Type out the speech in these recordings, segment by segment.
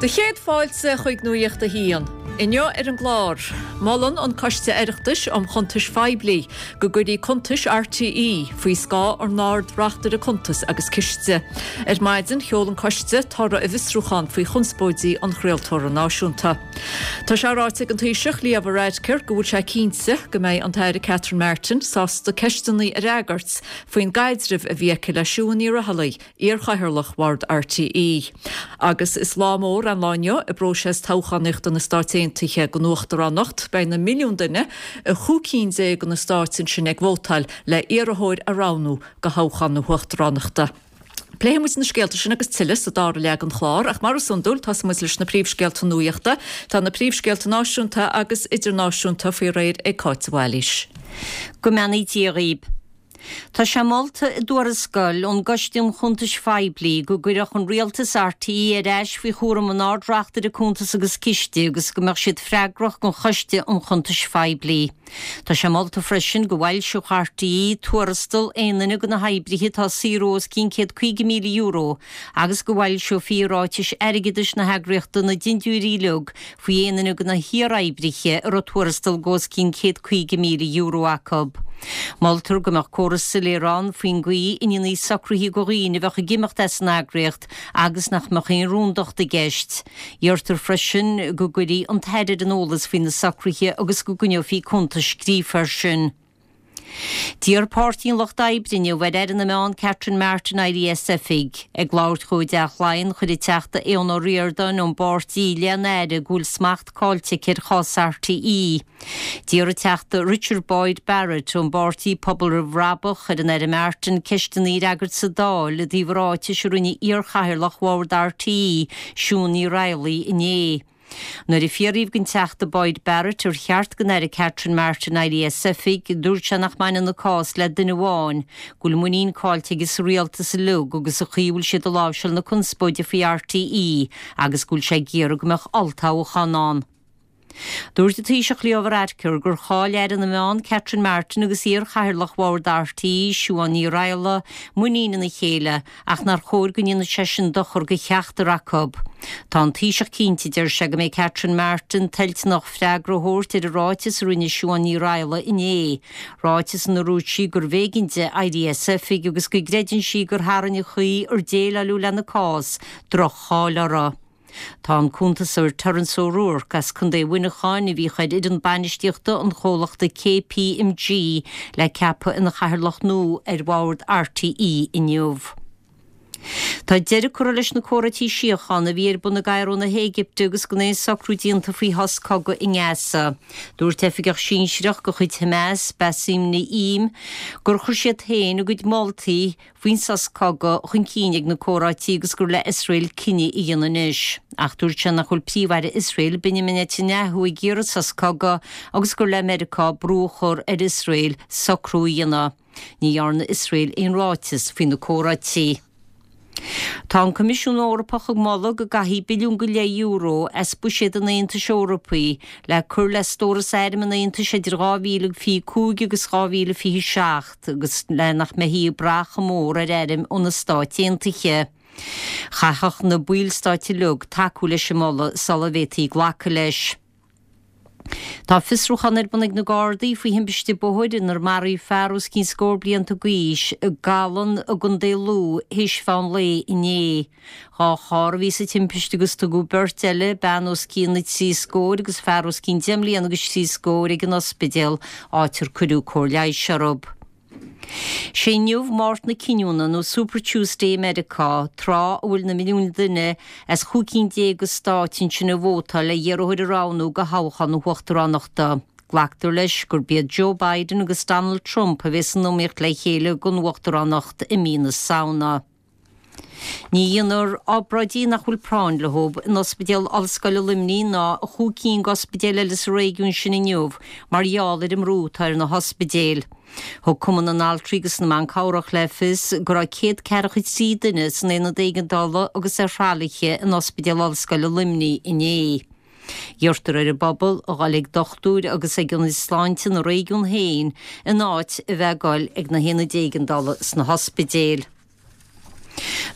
Do chéad fáilte chuig Nuacht a hAon. Inniu ar an gclár, molann an Coiste Oireachtais um Chuntais Phoiblí go gcuirfí cuntais RTÉ faoi scáth an Ard-Reachtaire Cuntas agus Ciste. Ar maidin, sheol an Coiste toradh a bhfiosrúchán faoi chonspóidí an chraoltóra náisiúnta. Tá sé ráite ag an Taoiseach Leo Varadkar go bhfuil sé cinnte go mbeidh an tAire Catherine Martin sásta ceisteanna a fhreagairt faoin gcaidreamh a bhí aici le Siún Ní Raghallaigh, iarchathaoirleach Bhord RTÉ. Agus is lá mór an lá inniu i bpróiseas toghchánaíochta na Stáit Aontaithe don uachtaránacht. Beidh na milliúin duine i chúig cinn déag de na stáit ansin ag vótáil le iarrthóir a roghnú do thoghchán na huachtaránachta. Pléifidh muid na scéalta sin agus tuilleadh sa dara leath den chlár, ach mar is iondúil, tosóidh muid leis na príomhscéalta nuachta. Tá na príomhscéalta náisiúnta agus idirnáisiúnta faoi réir ag Cáit de Bhailís. Go mbeannaí Dia dhaoib. Tá sé molta i dtuarascáil ón gCoiste um Chuntais Phoiblí go gcuirfeadh an Rialtas RTÉ ar ais faoi chúram an Ard-Reachtaire Cuntas agus Ciste agus go mbeadh siad freagrach don Choiste um Chuntais Phoiblí. Tá sé molta freisin go bhfoilseodh RTÉ tuarastal aon duine de na hoibrithe atá ag saothrú os cionn €150,000 agus go bhfoilseofaí i ráitis airgeadais na heagraíochta na dintiúirí uilig faoi aon duine de na hiar-oibrithe a raibh tuarastal de os cionn €150,000 acu. Moltar go mbeadh córas soiléir ann faoin gcaoi a ndéanfaí socruithe do dhaoine a bheadh ag imeacht as an eagraíocht agus nach mbeadh aon rúndacht i gceist. Iarrtar freisin go gcuirfí an tAire ar an eolas faoi na socruithe agus go gcoinneofaí cuntas scríofa air sin. D'iarr Páirtí an Lucht Oibre inniu ar Aire na Meán Catherine Martin éirí as oifig. Ag labhairt dhó i dTeach Laighean, chuir an Teachta Aodhán Ó Ríordáin ón bpáirtí i leith an Aire go bhfuil smacht caillte aici ar chás RTÉ. D'iarr an Teachta Richard Boyd Barrett ón bpáirtí Pobal Roimh Bhrabach ar an Aire Martin ceisteanna a fhreagairt sa Dáil i dtaobh ráitis a rinne iarchathaoirleach bhord RTÉ, Siún Ní Raghallaigh, inné. Nuair a fiafraíodh den Teachta Boyd Barrett ar cheart don Aire Catherine Martin éirí as oifig, dúirt sé nach mbaineann an cás le duine amháin, go bhfuil muinín caillte aige sa rialtas uilig agus sa chaoi a bhfuil siad ag láimhseáil na conspóide faoi RTÉ agus go bhfuil sé ag iarraidh go mbeadh olltoghchán ann. Dúirt an Taoiseach Leo Varadkar gur chaill Aire na Meán Catherine Martin agus iar-chathaoirleach bhord RTÉ, Siún Ní Raghallaigh, muinín ina chéile ach nár chóir go ndéanfadh sé sin dochar do cheachtar acu. Tá an Taoiseach cinnte, deir sé, go mbeidh Catherine Martin toilteanach freagra a thabhairt ar an ráiteas a rinne Siún Ní Raghallaigh inné, ráiteas ina ndúirt sí gurbh éigean di éirí as oifig agus go gcreideann sí gur tharraing an chaoi ar déileáileadh lena cás droch-cháil uirthi. Tá an cuntasóir Terence O'Rourke as Contae Mhuineacháin, a bhíodh ar fhoireann bainistíochta an chomhlachta KPMG, le ceapadh ina chathaoirleach nua ar bhord RTÉ inniu. Tá deireadh curtha leis na comhráití síochána a bhí ar bun i gCairo na hÉigipte agus gan aon socrú déanta faoi shos cogaidh i nGaza. Dúirt oifigeach sinsearach de chuid Hamas, Bassem Naim, gur chuir siad féin a gcuid moltaí faoin sos cogaidh chun cinn ag na comhráití agus gur le Iosrael cinneadh a dhéanamh anois. Ach dúirt sé nach bhfuil Príomh-Aire Iosrael, Benjamin Netanyahu ag iarraidh sos cogaidh agus gur le Meiriceá brú a chur ar Iosrael socrú a dhéanamh. Ní dhearna Iosrael aon ráiteas faoi na comhráití. Tá an Coimisiún Eorpach ag moladh go gcaithfí billiún go leith euro as buiséad an Aontais Eorpaigh le cur le stóras airm an Aontais idir 2025 agus 2027. agus le nach mbeifí ag brath chomh mór ar airm ó na Stáit Aontaithe. Chaithfeadh na ballstáit uilig tacú leis an moladh sula bhféadfaí glacadh leis. Tá fiosrúchán ar bun ag na Gardaí faoi thimpiste bóthair inar maraíodh fear os cionn scór blianta d'aois i gCallan i gContae Lú théis mheán lae inné. 2 charr a bhí sa timpiste agus tugadh beirt eile, bean os cionn na dtrí scóir agus fear os cionn deich mbliana agus trí scóir, ag an ospidéal, áit ar cuireadh cóir leighis orthu. Sé inniu Máirt na Cinniúna, nó Super Tuesday i Meiriceá, tráth a bhfuil na milliúin duine as chúig cinn déag de stáit ansin ag vótáil le hiarrthóir a roghnú do thoghchán na huachtaránachta. Glactar leis gurb iad Joe Biden agus Donald Trump a bheas san iomaíocht le chéile don uachtaránacht i mí na Samhna. Ní dhéanfar obráidí nach bhfuil práinn leo in Ospidéal Ollscoile Luimnigh ná i chúig cinn d'ospidéil eile sa réigiún sin inniu mar gheall ar an mbrú atá ar na hospidéil. Thug Cumann na nAltraí agus na mBan Cabhrach le fios go raibh 143 duine san aonad éigeandála agus ar thralaithe in Ospidéal Ollscoile Luimnigh inné. Iarrtar ar an bpobal a dhul ag dochtúir agus ag ionaid sláinte ina réigiún féin in áit a bheith ag dul ag na haonaid éigeandála sna hospidéil.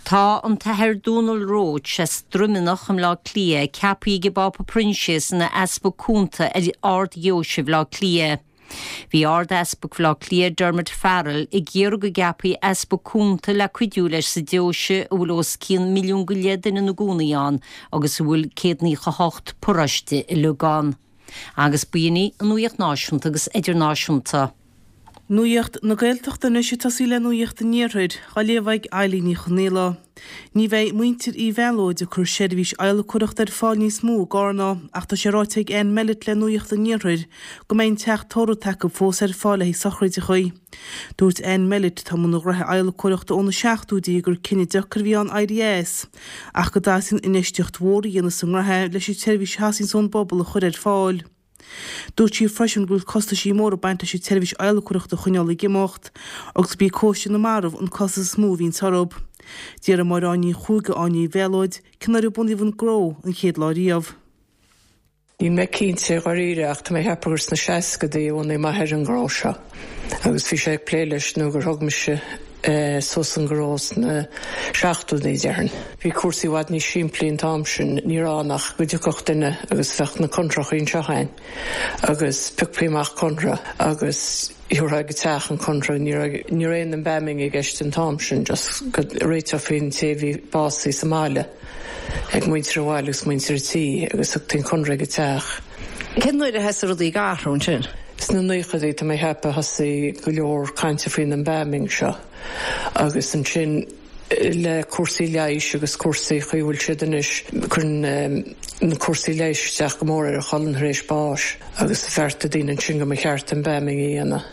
Tá an tAthair Dónal Roche as Droimeanach i mBleá Cliath ceaptha ag an bPápa Proinsias ina Easpag Cúnta ar Ard-Dheoise Bhaile Átha Cliath. Bhí Ard-Easpag Bhaile Átha Cliath Dermot Farrell ag iarraidh go gceapfaí Easpag Cúnta le cuidiú leis sa deoise a bhfuil os cionn 1.5 milliún duine ina gcónaí ann agus a bhfuil 198 paróiste uilig ann. Agus b'in í an nuaíocht náisiúnta agus idirnáisiúnta. Nuacht na Gaeltachta anois ag tosaí le Nuacht an Iarthair, á léamh ag Eilín Ní Chonaola. Ní bheidh muintir Uí Mhealóid ag cur seirbhís adhlacóireachta ar fáil níos mó i gCarna ach tá sé ráite ag Ann Mellett le Nuacht an Iarthair go mbeidh an teach tórraimh atá acu fós ar fáil le haghaidh sochraideacha. Dúirt Ann Mellett, atá i mbun an ghnoithe adhlacóireachta ó na seachtóidí gur cinneadh deacair a bhí ann éirí as ach go dteastaíonn infheistíocht mhór a dhéanamh sa ngnóthe leis an tseirbhís a theastaíonns ón bpobal a chur ar fáil. Dúirt sí freisin go bhfuil costaisí móra ag baint leis an tseirbhís adhlacóireachta a choinneáil ag imeacht agus gurb í cóisir na marbh an costas is mó a bhíonns orthu. D'fhiafraigh Máire Áine Ní Chuaig de Áine Uí Mhealóid cén uair a bunaíodh an gnó an chéad lá riamh. Níl mé cinnte dháiríre ach tá mé ag ceapadh gur sna seascadaí a bhunaigh m'athair an gnó seo agus bhí sé ag plé leis nó gur thug mise suas an gnó sna seachtóidí, déarfainn. Bhí cúrsaí i bhfad níos simplí an t-am sin, ní raibh ann ach go dtiocfadh duine agus bheadh na conrachaí anseo againn agus phiocfaí amach conradh agus thabharfá ag an teach an conradh, ní raibh ní raibh aon embalming i gceist an t-am sin, just go réiteofaí an té a bhí básaithe sa mbaile ag muintir an bhaile agus muintir an tí agus thugtaí an conradh ag an teach. Cén uair a thosaigh rudaí ag athrú ansin? Sna naochadaí, tá mé ag ceapadh, thosaigh go leor cainte faoin embalming seo agus ansin le cúrsaí leighis agus cúrsaí chaoi a bhfuil siad anois, cuireann na cúrsaí leighis isteach go mór ar an cholainn tar éis báis agus bheartaigh daoine ansin go mba cheart embalming a dhéanamh.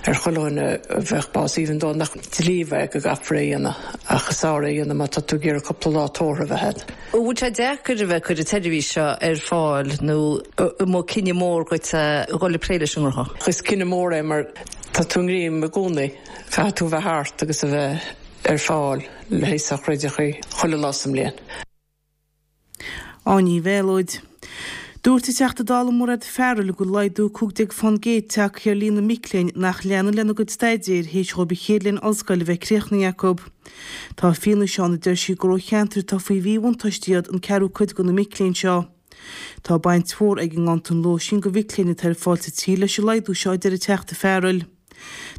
ar chuile dhuine a bheadh básaithe even though nach dlí é go gcaithfear é a dhéanamh ach is fearr é a dhéanamh má tá tú ag iarraidh cúpla lá tórraimh a bheith agat. An bhfuil sé deacair a bheith ag cur an tseirbhís seo ar fáil nó an mba cinneadh mór dhuit a dhul ag plé leis an ngnó? Is cinneadh mór é mar tá tú i ngreim i gcónaí, caithfidh tú a bheith thart agus a bheith ar fáil le haghaidh sochraideachaí chuile lá sa mbliain. Áine Ní Mhéalóid. Dúirt an Teachta Dála Mairéad Farrell go bhfuil laghdú 15% tagtha ar líon na mic léinn nach leanann lena gcuid staidéir théis dhóibh an chéad bhliain ollscoile a bheith críochnaithe acu. Tá fianaise ann a deir sí gur ó cheantair atá faoi mhíbhuntáiste iad an ceathrú cuid de na mic léinn seo. Tá baint mhór ag an nganntan lóistín do mhic léinn atá ar fáil sa tír leis an laghdú seo a deir an Teachta Farrell.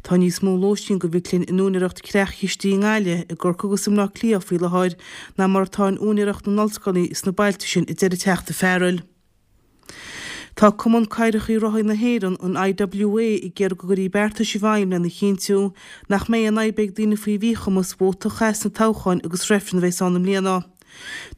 Tá níos mó lóistín do mhic léinn in úinéireacht creach-chistí i nGaillimh, i gCorcaigh agus i mBleá Cliath faoi láthair ná mar atá in úinéireacht na n-ollscoileanna sna bailte sin, a deir an Teachta Farrell. Tá Cumann Cathaoireacha Rothaí na hÉireann, an IWA, ag iarraidh go gcuirfí beartais i bhfeidhm lena chinntiú nach mbeidh aon fhadhb ag daoine faoi mhíchumas vóta a chaitheamh sna toghcháin agus reifrinn a bheas ann i mbliana.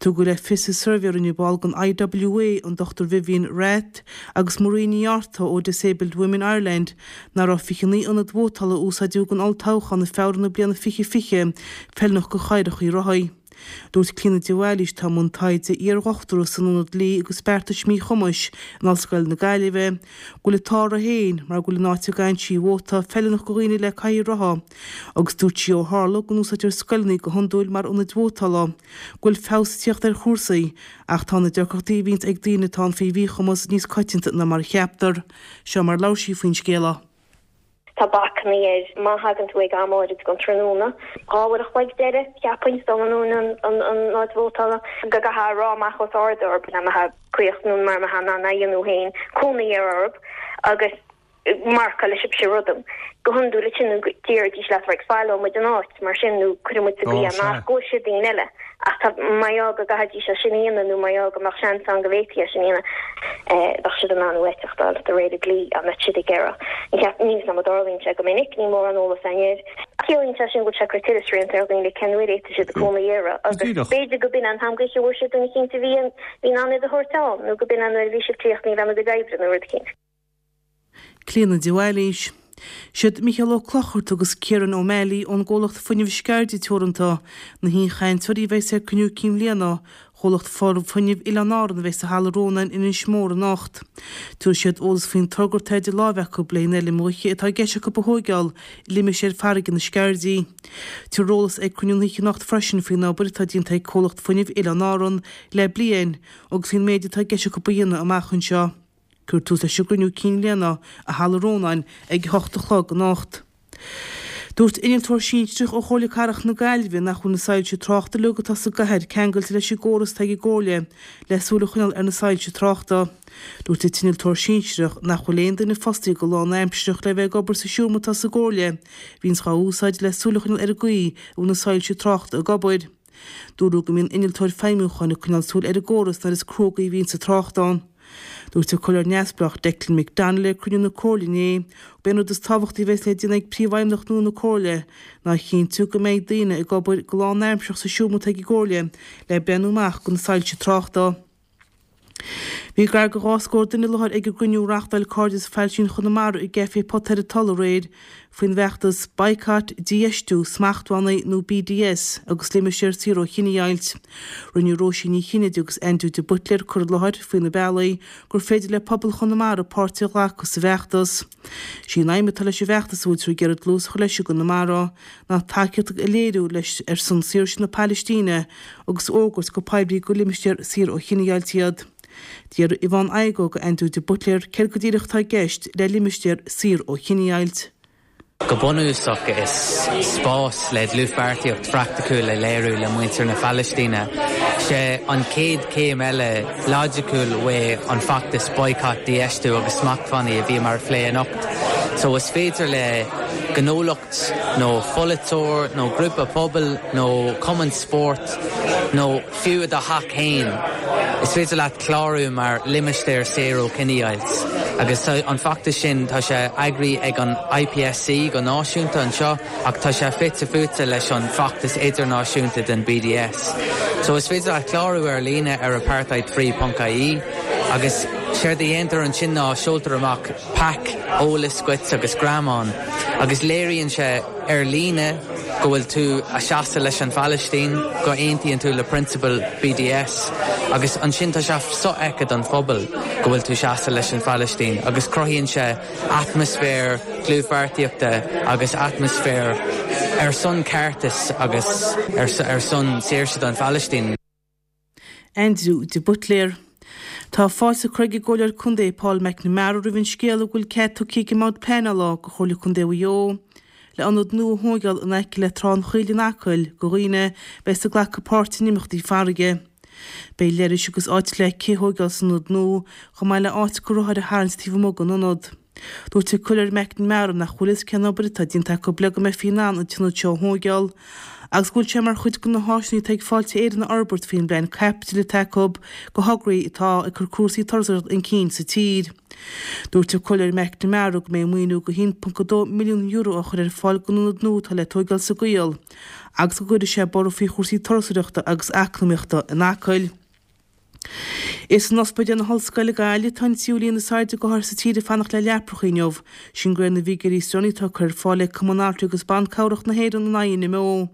Tugadh le fios i suirbhé a rinne ball den IWA, an Dr Vivian Rath, agus Marie Ní Fhearta ó Disabled Women Ireland, nach raibh 29 ionad vótála a úsáideadh don olltoghchán i Feabhra na bliana 2020 feiliúnach do chathaoireacha rothaí. Dúirt Clíona de Bhailís, atá i mbun taighde iardhochtúra san Ionad Dlí agus Beartais Míchumais in Ollscoil na Gaillimhe, go bhfuil an t-ádh uirthi féin mar go bhfuil an áit a gcaitheann sí a vóta feiliúnach do dhaoine le cathaoir rotha. Agus dúirt sí ó tharla go n-úsáidtear scoileanna go hiondúil mar ionaid vótála, go bhfuil feabhas ag tíocht ar chúrsaí, ach tá na deacrachtaí a bhíonns ag daoine atá faoi mhíchumas níos coitianta ná mar a cheaptar. Seo mar a labhair sí faoin scéala. Tá bacannaí air má thagann tú ag am áirid den tráthnóna. 2 uair a chloig deireadh, cheapfainn, dul anonn an áit vótála. Go gcaithfeá a rá amach os ard orthu, má tá críoch nó mar má tá in ann é a dhéanamh féin, cónaí ar orthu agus marcáil sibhse rud. Go hiondúil ansin déarfaidís leat right fágfaidh muid an áit mar sin nó cuirfidh muid sa gcaoi é nach go bhfuil siad daoine eile. Ach tá mar gheall go gcaithfidís é sin a dhéanamh nó mar gheall go mbeadh seans ann go bhféadfaí é sin a dhéanamh bheadh siad in ann uait a fháil de réir an dlí dá mbeadh siad ag iarraidh. Ní cheap, níl 'fhios a'm an dtarlaíonn sé go minic, níl mórán eolas againn air. Ciallaíonn sé sin go bhfuil sé ag cur tuilleadh srianta ar dhaoine cén uair a fhéadfaidh siad cónaí uirthi agus b'fhéidir go b'in an t-am gaoithe a bhfuair siad duine eicínt a bhí in ann iad a thabhairt ann nó go b'in an uair a bhí siad críochnaithe lena gcuid oibre nó rud eicínt. Clíona de Bhailís. Siad Micheál Ó Clochartaigh agus Kieran O'Malley ón gcomhlacht Fuinneamh Sceirde Teoranta na haoichainteoirí a bheas ag Cruinniú Cinn Bhliana Chomhlacht Fuinnimh Oileáin Árann a bheas i Halla Rónáin in Inis Mór anocht. Tabharfaidh siad eolas faoin togra atá idir láimhe acu le haghaidh an fheilm ghaoithe atá i gceist acu a thóigeáil i limistéar farraige na Sceirdí. Tabharfar eolas ag cruinniú na hoíche anocht freisin faoin obair atá déanta ag Comhlacht Fuinnimh Oileáin Árann le bliain agus faoin méid atá i gceist acu a dhéanamh amach anseo. Cuirfear tús leis an gcruinniú cinn bhliana i Halla Rónáin ag a hocht a chlog anocht. Dúirt innealtóir sinsearach ó Chomhairle Cathrach na Gaillimhe nach bhfuil na soilse tráchta uilig atá sa gcathair ceangailte leis an gcóras atá ag an gComhairle le súil a choinneáil ar na soilse tráchta. Dúirt an t-innealtóir sinsearach nach bhfuil aon duine fostaithe go lánaimsearach le bheith ag obair sa seomra atá sa gComhairle, a bhíonns dhá úsáid le súil a choinneáil ar an gcaoi a bhfuil na soilse tráchta ag obair. Dúradh go mbíonn innealtóir feidhmiúcháin ag coinneáil súil ar an gcóras nuair is cruógaí a bhíonns an trácht ann. Dúirt an Comhairleoir Neamhspleách Declan McDonogh ag cruinniú na Comhairle inné gurb é an rud is tábhachtaí a bheas le déanamh ag Príomhfheidhmeannach nua na Comhairle ná a chinntiú go mbeidh daoine ag obair go lánaimsearach sa seomra atá ag an gComhairle le breathnú amach do na soilse tráchta. Bhí gar do 2 scór duine i láthair ag an gcruinniú a reáchtáil Cairdeas Phailistín Chonamara i gCaifé Pota ar an Tulaigh aréir faoin bhfeachtas Boycott, Dífheistiú, Smachtbhannaí nó BDS agus Limistéir Saor ó Chinedheighilt. Rinne Róisín Ní Chinnéide agus Aindriú de Buitléir cur i láthair faoi na bealaí gur féidir le pobal Chonamara páirt a ghlacadh sa bhfeachtas. Sí an aidhm atá leis an bhfeachtas a bhfuiltear ag iarraidh dlús a chur leis i gConamara ná tacaíocht a léiriú leis ar son saoirse na Pailistíne agus fhógairt go poiblí gur limistéar saor ó chinedheighilt iad. D'fhiafraigh Yvonne Igoe de Aindriú de Buitléir céard go díreach atá i gceist le limistéar saor ó chinedheighilt. Go bunúsach is spás le dlúthpháirtíocht phraiticiúil a léiriú le muintir na Palaistíne. Sé an chéad chéim eile loighiciúil uaidh an feachtas Boycott, Dífheistiú agus Smachtbhannaí a bhíomar a phlé anocht. So is féidir le gnólacht nó pholaiteoir nó grúpa pobail nó cumann spóirt nó fiú i do theach féin, is féidir leat clárú mar limistéar saor ó chinedheighilt. Agus tá an feachtas sin, tá sé eagraithe ag an IPSC go náisiúnta anseo ach tá sé fite fuaite leis an bhfeachtas idirnáisiúnta den BDS. So is féidir leat clárú ar líne ar apartheidfree ponc ie agus séard a dhéantar ansin ná seoltar amach pack eolais dhuit agus greamán agus léiríonn sé ar líne go bhfuil tú a seasamh leis an Phalaistín, go aontaíonn tú le prionsabail BDS agus ansin tá sé sofheicthe don phobal go bhfuil tú seasamh leis an Phalaistín agus cruthaíonn sé atmaisféar dlúthpháirtíochta agus atmaisféar ar son ceartais agus ar son saoirse don Phalaistín. Aindriú de Buitléar. Tá fáilte curtha ag an gComhairleoir Contae Paul McNamara roimh an scéala go bhfuil cead tugtha ag an mBord Pleanála do Chomhairle Contae Mhaigh Eo le ionad nua a thóigeáil in aice le Trá an Choill in Acaill do dhaoine a bheas ag glacadh páirt in imeachtaí farraige. Beidh leithris agus áit le cith a thóigeáil san ionad nua chomh maith le áit do rothair a tharraingt taobh amuigh den ionad. Dúirt an Comhairleoir McNamara nach bhfuil fhios cén obair atá déanta acu le go mbeifí in ann an t-ionad seo a thóigeáil agus go bhfuil sé mar chuid de na háiseanna atá ag Fáilte Éireann a fhorbairt faoin bplean caipitil atá acu do thograí atá ag cur cúrsaí turasóireachta chun cinn sa tír. Dúirt an Comhairleoir McNamara go mbeidh maoiniú de €1.2 milliún á chur ar fáil don ionad nua atá le tóigeáil sa gCoill agus go gcuirfidh sé borradh faoi chúrsaí turasóireachta agus eacnamaíochta in Acaill. Is in Ospidéal na hOllscoile Gaillimh atá an tríú líon is airde d'othair sa tír ag fanacht le leapracha inniu, sin de réir na bhfigiúirí is deireanaí atá curtha ar fáil ag Cumann Altraí agus Ban Cabhrach na hÉireann an INMO.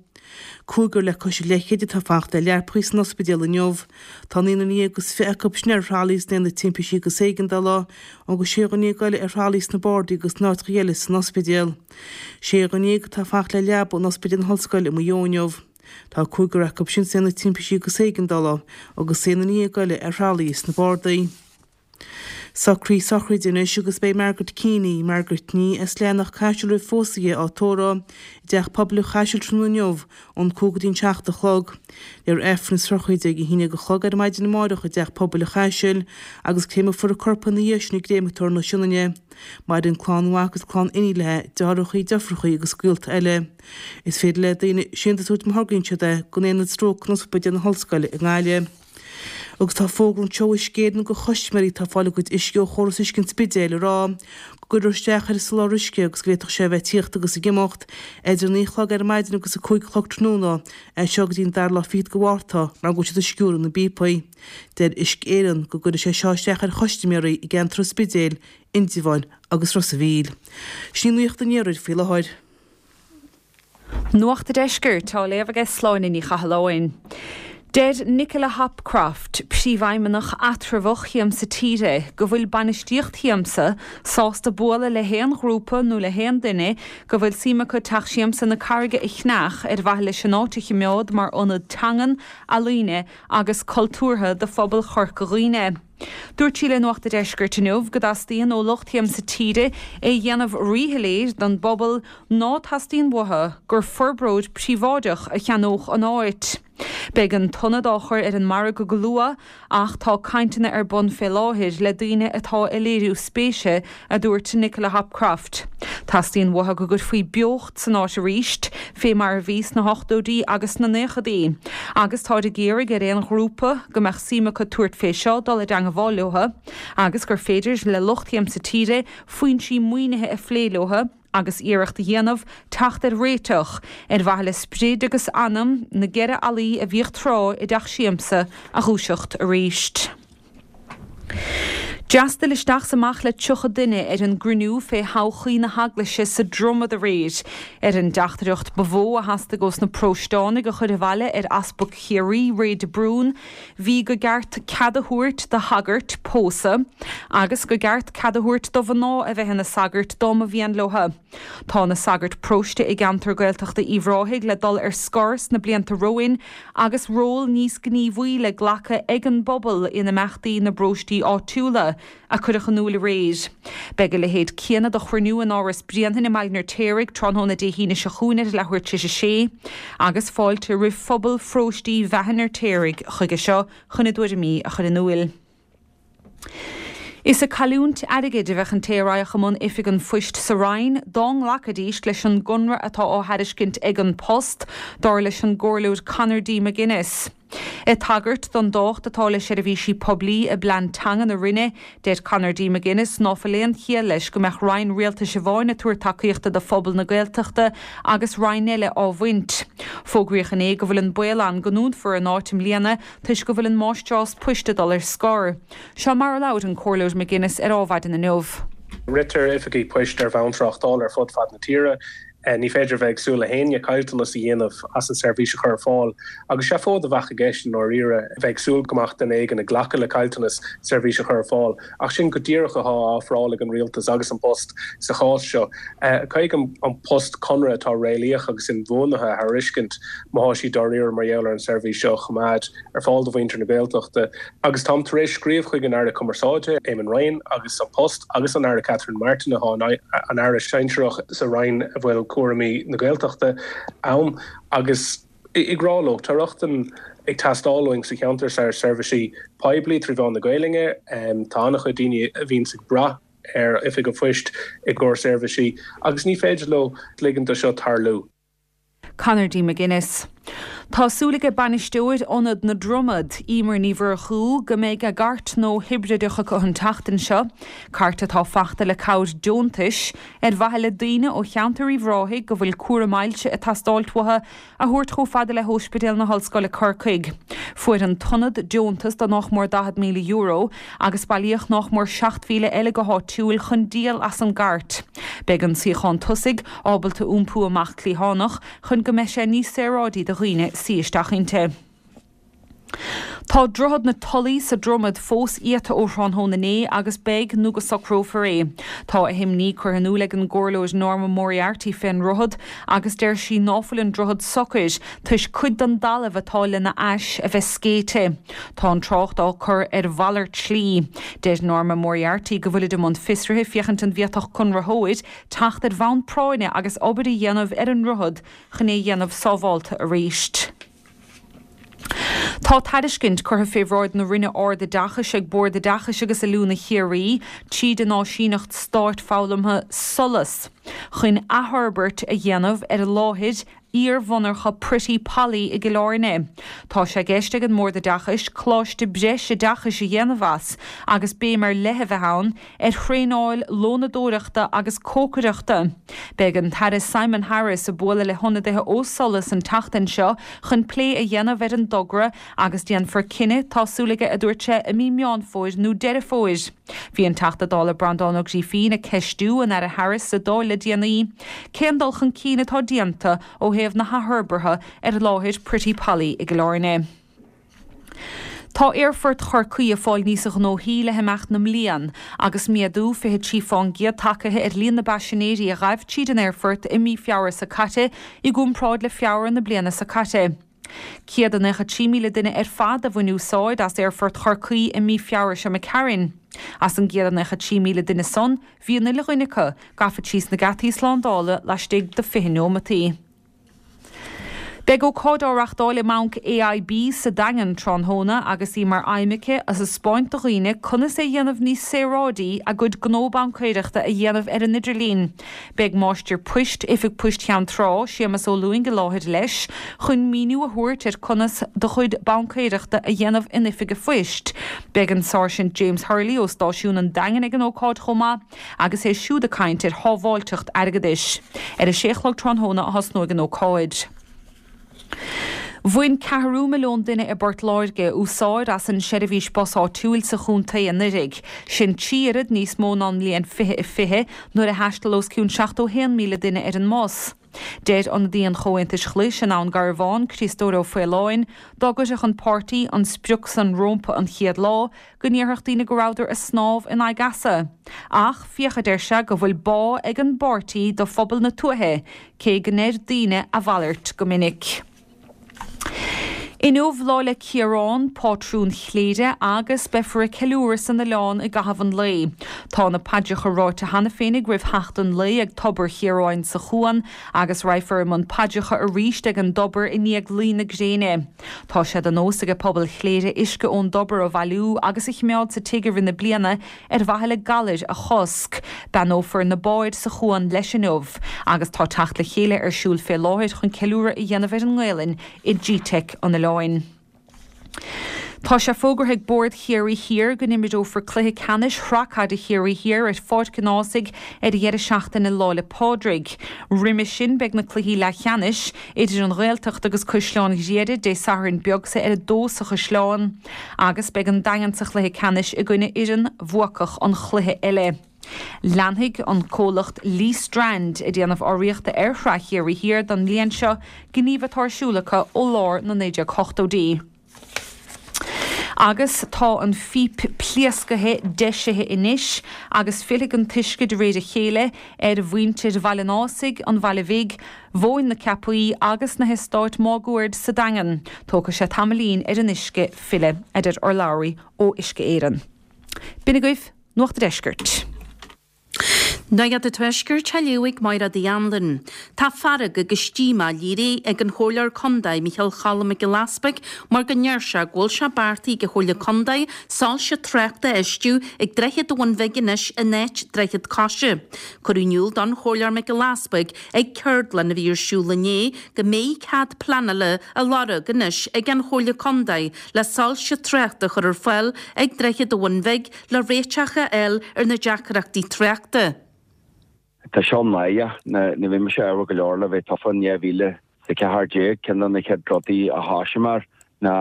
Cúigear le cois a leithchéid atá ag fanacht le leaprachaí san ospidéal inniu. Tá naonúr is 20 acu sin ar thralaí sna haonaid timpistí agus éigeandála, agus sé dhuine eile ar thralaí sna bardaí agus in áiteacha eile san ospidéal. Sé dhuine atá ag fanacht le leaba in Ospidéal na hOllscoile i Maigh Eo inniu. Tá cúigear acu sin sna haonaid timpistí agus éigeandála agus aon duine dhéag eile ar thralaí sna bardaí. Socruithe sochraide anois agus beidh Margaret Keaney, Margaret Nee as Leathanach Caiseal roimh phósadh di á tórramh i dTeach Pobail an Chaisil tráthnóna inniu ón 5 go dtí an 7 a chlog. Léifear Aifreann na sochraide ag a 11 a chlog ar maidin amáireach i dTeach Pobail an Chaisil agus créamfar a corp ina dhiaidh sin i gcréamatóir na Sionainne. Maireann clann mhac agus clann iníon léi, deartháireacha, deirfiúracha agus gaolta eile. Is féidir le daoine síntiús a thabhairt má thograíonn siad é don Aonad Stróc in Ospidéal na hOllscoile i nGaillimh. Agus tá fógra anseo ó Uisce Éireann do chustaiméirí atá ag fáil a gcuid uisce ó chóras uisce an Spidéil ag rá go gcuirfear isteach ar an soláthar uisce agus go bhféadfadh sé a bheith ag tíocht agus ag imeacht idir 9 a chlog ar maidin agus 5 a chlog tráthnóna as seo go dtí an dara lá fichead de Mhárta mar go bhfuil siad ag sciúradh na bpíopaí. Deir Uisce Éireann go gcuirfidh sé seo isteach ar chustaiméirí i gceantar an Spidéil, Indreabháin agus Ros a' Mhíl. Sin í nuacht an iarthair faoi láthair. Nuacht a' Deiscirt á léamh aige Sláine Ní Chathalláin. Deir Nicola Hopcroft, Príomhfheidhmeannach eatramhach Shiamsa Tíre, go bhfuil bainistíocht Shiamsa sásta bualadh le haon ghrúpa nó le haon duine go bhfuil suim acu Teach Siamsa na Carraige a cheannach ar mhaithe leis an áit a chimeád mar ionad teangan, ealaíne agus cultúrtha do phobal Chorca Dhuibhne. Dúirt sí le Nuacht a' Deiscirt inniu go dteastaíonn ó lucht Shiamsa Tíre é a dhéanamh ríshoiléir don bpobal ná teastaíonn uathu gur forbróir príobháideach a cheannódh an áit. Beidh an t-ionad á chur ar an margadh go luath ach tá cainteanna ar bun fé láthair le daoine atá ag léiriú spéise, a dúirt Nicola Hopcroft. Teastaíonn uathu go gcuirfí beocht san áit arís, fé mar a bhí sna hochtóidí agus sna naochadaí. Agus táid ag iarraidh ar aon ghrúpa go mbeadh suim acu tabhairt fé seo dul i dteangabháil leo agus gur féidir le lucht Shiamsa Tíre foinsí maoinithe a phlé leo. agus iarracht a dhéanamh teacht ar réiteach, ar mhaithe le sprid agus anam na gceithre fhallaí a bhíodh tráth i dteach siamsa a dhúiseacht arís. D'fhreastail isteach 's amach le 30 duine ar an gcruinniú fé thodhchaí na hEaglaise sa Dromad aréir. Ar an dteachtaireacht ba mhó a theastaigh ós na paróisteánaigh a chur abhaile ar Easpag Chiarraí, Ray de Brún, Bhí go gceart cead a thabhairt do shagairt pósadh agus go gceart cead a thabhairt do mhná a bheith ina sagairt dá mba mhian leo. Tá na sagairt paróiste i gceantar Gaeltachta Uíbh Ráthaigh le dul ar scor sna blianta romhainn agus ról níos gníomhaí le glacadh ag an bpobal in imeachtaí na bparóistí áitiúla. a cuireadh in iúl aréir. Beidh a leithéid céanna de chruinniú in Áras Bhréanainn i mBaile an Fheirtéaraigh tráthnóna Dé hAoine seo chugainn ar a leathuair tar éis a sé, agus fáilte roimh phobal pharóistí Bheatha an Fheirtéaraigh chuige seo chun a dtuairimí a chur in iúil. Is ag cailliúint airgid a bheadh an té a raghadh i mbun Oifig an Phoist sa Rinn dá nglacfaidís leis an gconradh atá á thairiscint ag An Post, dar leis an gComhairleoir Conor D. McGuinness. Ag tagairt don dtábhacht atá le seirbhísí poiblí i bplean teanga na Roinne, deir Conor D. McGuinness ná fuil aon chiall leis go mbeadh Roinn Rialtais amháin ag tabhairt tacaíochta do phobal na Gaeltachta agus Roinn eile á bhaint. Fógraíodh inné go bhfuil an baol ann go ndúnfar an áit i mbliana toisc go bhfuil an máistreás poist ag dul ar scor. Seo mar a labhair an Comhairleoir McGuinness ar Ádhmhaidin inniu. Ritear oifigí poist ar bhonn tráchtála ar fud fad na tíre. Ní féidir a bheith ag súil le héinne caillteanas a dhéanamh as an seirbhís a chur ar fáil agus seafóid a bheadh i gceist i ndáiríre a bheith ag súil go mbeadh duine éigin ag glacadh le caillteanas seirbhís a chur ar fáil. Ach sin go díreach atá á ofráil ag an Rialtas agus An Post sa chás seo. Caithfidh An Post conradh atá réalaíoch agus inbhuanaithe a thairiscint má thá siad dáiríre mar gheall ar an seirbhís seo a choimeád ar fáil do mhuintir na Gaeltachta. Agus táim tar éis scríobh chuig an Aire Cumarsáide, Eamon Ryan, agus An Post agus an Aire Catherine Martin, atá an Aire sinsearach sa Roinn a bhfuil cúraimí na Gaeltachta ann, agus ag rá leo, tá rochtain ag teastáil uainn sa cheantar seo ar seirbhísí poiblí trí mheán na Gaelainne. Tá an-chuid daoine a bhíonns ag brath ar Oifig an Phoist i gcomhair seirbhísí agus ní féidir leo ligean do seo tarlú. Conor D. McGuinness. Tá súil ag bainisteoir Ionad na Dromad, Emer Ní Mhurchú, go mbeidh a gcairt nua hibrideach acu an tseachtain seo, cairt atá fachta le cabhair deontais, ar mhaithe le daoine ó cheantar Uíbh Ráthaigh go bhfuil cúram ailse ag teastáilt uathu a thabhairt chomh fada le hÓispidéal na hOllscoile Corcaigh. Fuair an t-ionad deontas de nách mór €40,000 agus bailíodh nách mór 7,000 eile go háitiúil chun díol as an gcairt. Beidh an suíochán tosaigh ábalta iompú amach cliathánach chun go mbeidh sé níos saoráidí do dhaoine suí isteach inti. Tá Droichead na Tulaí sa Dromad fós iata ó thráthnóna inné agus beidh nó go socrófar é. Tá a himní curtha in iúl ag an gComhairleoir Norma Moriarty fén ndroichead agus deir sí ná fuil an droichead socair toisc cuid den dtalamh atá lena ais a bheith scéite. Tá an trácht á cur ar mhalairt slí. Deir Norma Moriarty go bhfuilid i mbun fiosraithe féachaint an bhféadfadh conraitheoir teacht ar bhonn práinne agus obair a dhéanamh ar an ndroichead chun é a dhéanamh sábhálta arís. Tá tairiscint curtha fé bhráid na Roinne Ard-Oideachais ag Bord Oideachais agus Oiliúna Chiarraí, tríd an áisíneacht stáit foghlamtha SOLAS, chun athfhorbairt a dhéanamh ar láthair iar-mhonarcha Pretty Polly i gCill Airne. Tá sé i gceist ag an mBord Oideachais coláiste breis oideachais a dhéanamh as agus béim ar leith a bheith ann ar thraenáil lónadóireachta agus cócaireachta. Beidh an tAire Simon Harris ag bualadh le hionadaithe ó SOLAS an tseachtain seo chun plé a dhéanamh ar an dtogra agus déanfar cinneadh, tá súil aige, a dúirt sé, i mí Meán Fómhair nó Deireadh Fómhair. Bhí an Teachta Dála Breandán Ó Grífín ag ceistiú an Aire Harris sa Dáil le déanaí cén dul chun cinn atá déanta ó thaobh na hathfhorbartha ar láthair Pretty Polly i gCill Airne. Tá Aerfort Chorcaí ag fáil níosa ghnóthaí le himeacht na mblian agus méadú 23 fán gcéad tagtha ar líon na bpaisinéirí a ghaibh tríd an aerfort i mí Feabhra seo caite i gcomparáid le Feabhra na bliana seo caite. 193,000 duine ar fad a bhain úsáid as Aerfort Chorcaí i mí Feabhra seo imigh tharainn. As an gcéad 93,000 duine san, bhí an uile dhuine acu gafa síos na geataí slándála laistigh de 20 neomataí. Beidh ócáid á reachtáil i mBanc AIB sa Daingean tráthnóna agus í mar aidhm aici a thaispeáint do dhaoine conas é a dhéanamh níos saoráidí a gcuid gnó baincéireachta a dhéanamh ar an idirlíon. Beidh Máistir Poist Oifig Poist Cheann Trá, Séamus Ó Lúing i láthair leis chun míniú a thabhairt ar conas do chuid baincéireachta a dhéanamh in oifig a phoist. Beidh an Sáirsint James Hurley ó Stáisiún an Daingin ag an ócáid chomh maith agus é siúd ag caint ar shábháilteacht airgeadais. Ar a sé a chlog tráthnóna a thosnóidh an ócáid. Bhain ceathrú milliún duine i bPort Láirge úsáid as an seirbhís bus áitiúil sa chontae anuraidh. Sin 3 oiread níos mó ná an mbliain 2020 nuair a thaistil os cionn 71,000 duine ar an mbus. Deir ionadaí an Chomhaontais Ghlais in Abhainn Garbhán, Criostóir Ó Faoláin, dá gcuirfeadh an páirtí an sprioc san rómpa an chéad lá, go ndéarfadh daoine go rabhadar ag snámh in aghaidh easa. Ach féach, a deir sé, go bhfuil bá ag an bpáirtí do phobal na tuaithe, cé go ndeir daoine a mhalairt go minic. Inniu Lá 'le Ciarán, pátrún Chléire, agus beifear ag ceiliúradh san oileán i gcaitheamh an lae. Tá na paidreacha ráite cheana féinig roimh theacht an lae ag Tobar Chiaráin sa Chuan agus raghaifear i mbun paidreacha arís ag an dtobar i ndiaidh luí na gréine. Tá sé de nós ag pobal Chléire uisce ón dtobar a bhailiú agus a chimeád sa tigh i rith na bliana ar mhaithe le galair a chosc. Beannófar na báid sa chuan leis inniu agus tá teacht le chéile ar siúl fé láthair chun ceiliúradh a dhéanamh ar an nGaelainn i gteic an oileáin. Tá sé fógartha ag Bord Chiarraí Thiar go n-imreofar cluiche ceannais Shraith Caide Chiarraí Thiar ar Pháirc an Ághasaigh ar an dheireadh seachtaine Lá 'le Pádraig. Roimhe sin beidh na cluichí leathcheannais idir an Ghaeltacht agus Caisleán Ghriaire Dé Sathairn beag seo ar a dó sa Chaisleán agus beidh an Daingean sa chluiche ceannais i gcoinne fhoireann bhuacach an chluiche eile. Leanfaidh an comhlacht Lee Strand ag déanamh urraíochta ar Shraith Chiarraí Thiar don mbliain seo, gníomh atá ar siúl acu ó lár na 1980idí. Agus tá an phíp pléascaithe deisithe anois agus fillfidh an t-uisce de réir a chéile ar mhuintir Bhaile an Ághasaigh, an Bhaile Bhig, Mhóin na Ceapaí agus na heastáit máguaird sa Daingean. Tógfaidh sé tamaillín ar an uisce filleadh, a deir urlabhraí ó Uisce Éireann. B'in agaibh Nuacht a' Deiscirt. Nuacht an Tuaiscirt á léamh ag Máire Uí Anluain. Tá fearg agus díomá léirithe ag an Chomhairleoir Condae Micheál Cholm Mac Giolla Easpaig mar go ndeir sé go bhfuil sé beartaithe ag an Chomhairle Condae soilse tráchta a fheistiú ag Droichead an Bhun Bhig anois in áit Droichead Coise. Cuireadh in iúl don Chomhairleoir Mac Giolla Easpaig ag ceardlann a bhí ar siúl inné go mbeidh cead pleanála á lorg anois ag an Chomhairle Condae le soilse tráchta a chur ar fáil ag Droichead an Bhun Bhig le réiteach a fháil ar na deacrachtaí tráchta. Tá seo náireach. Nuair a bhí mise ádhúil go leor le bheith tofa in 2014, ceann de na chéad rudaí a thosaigh mé air ná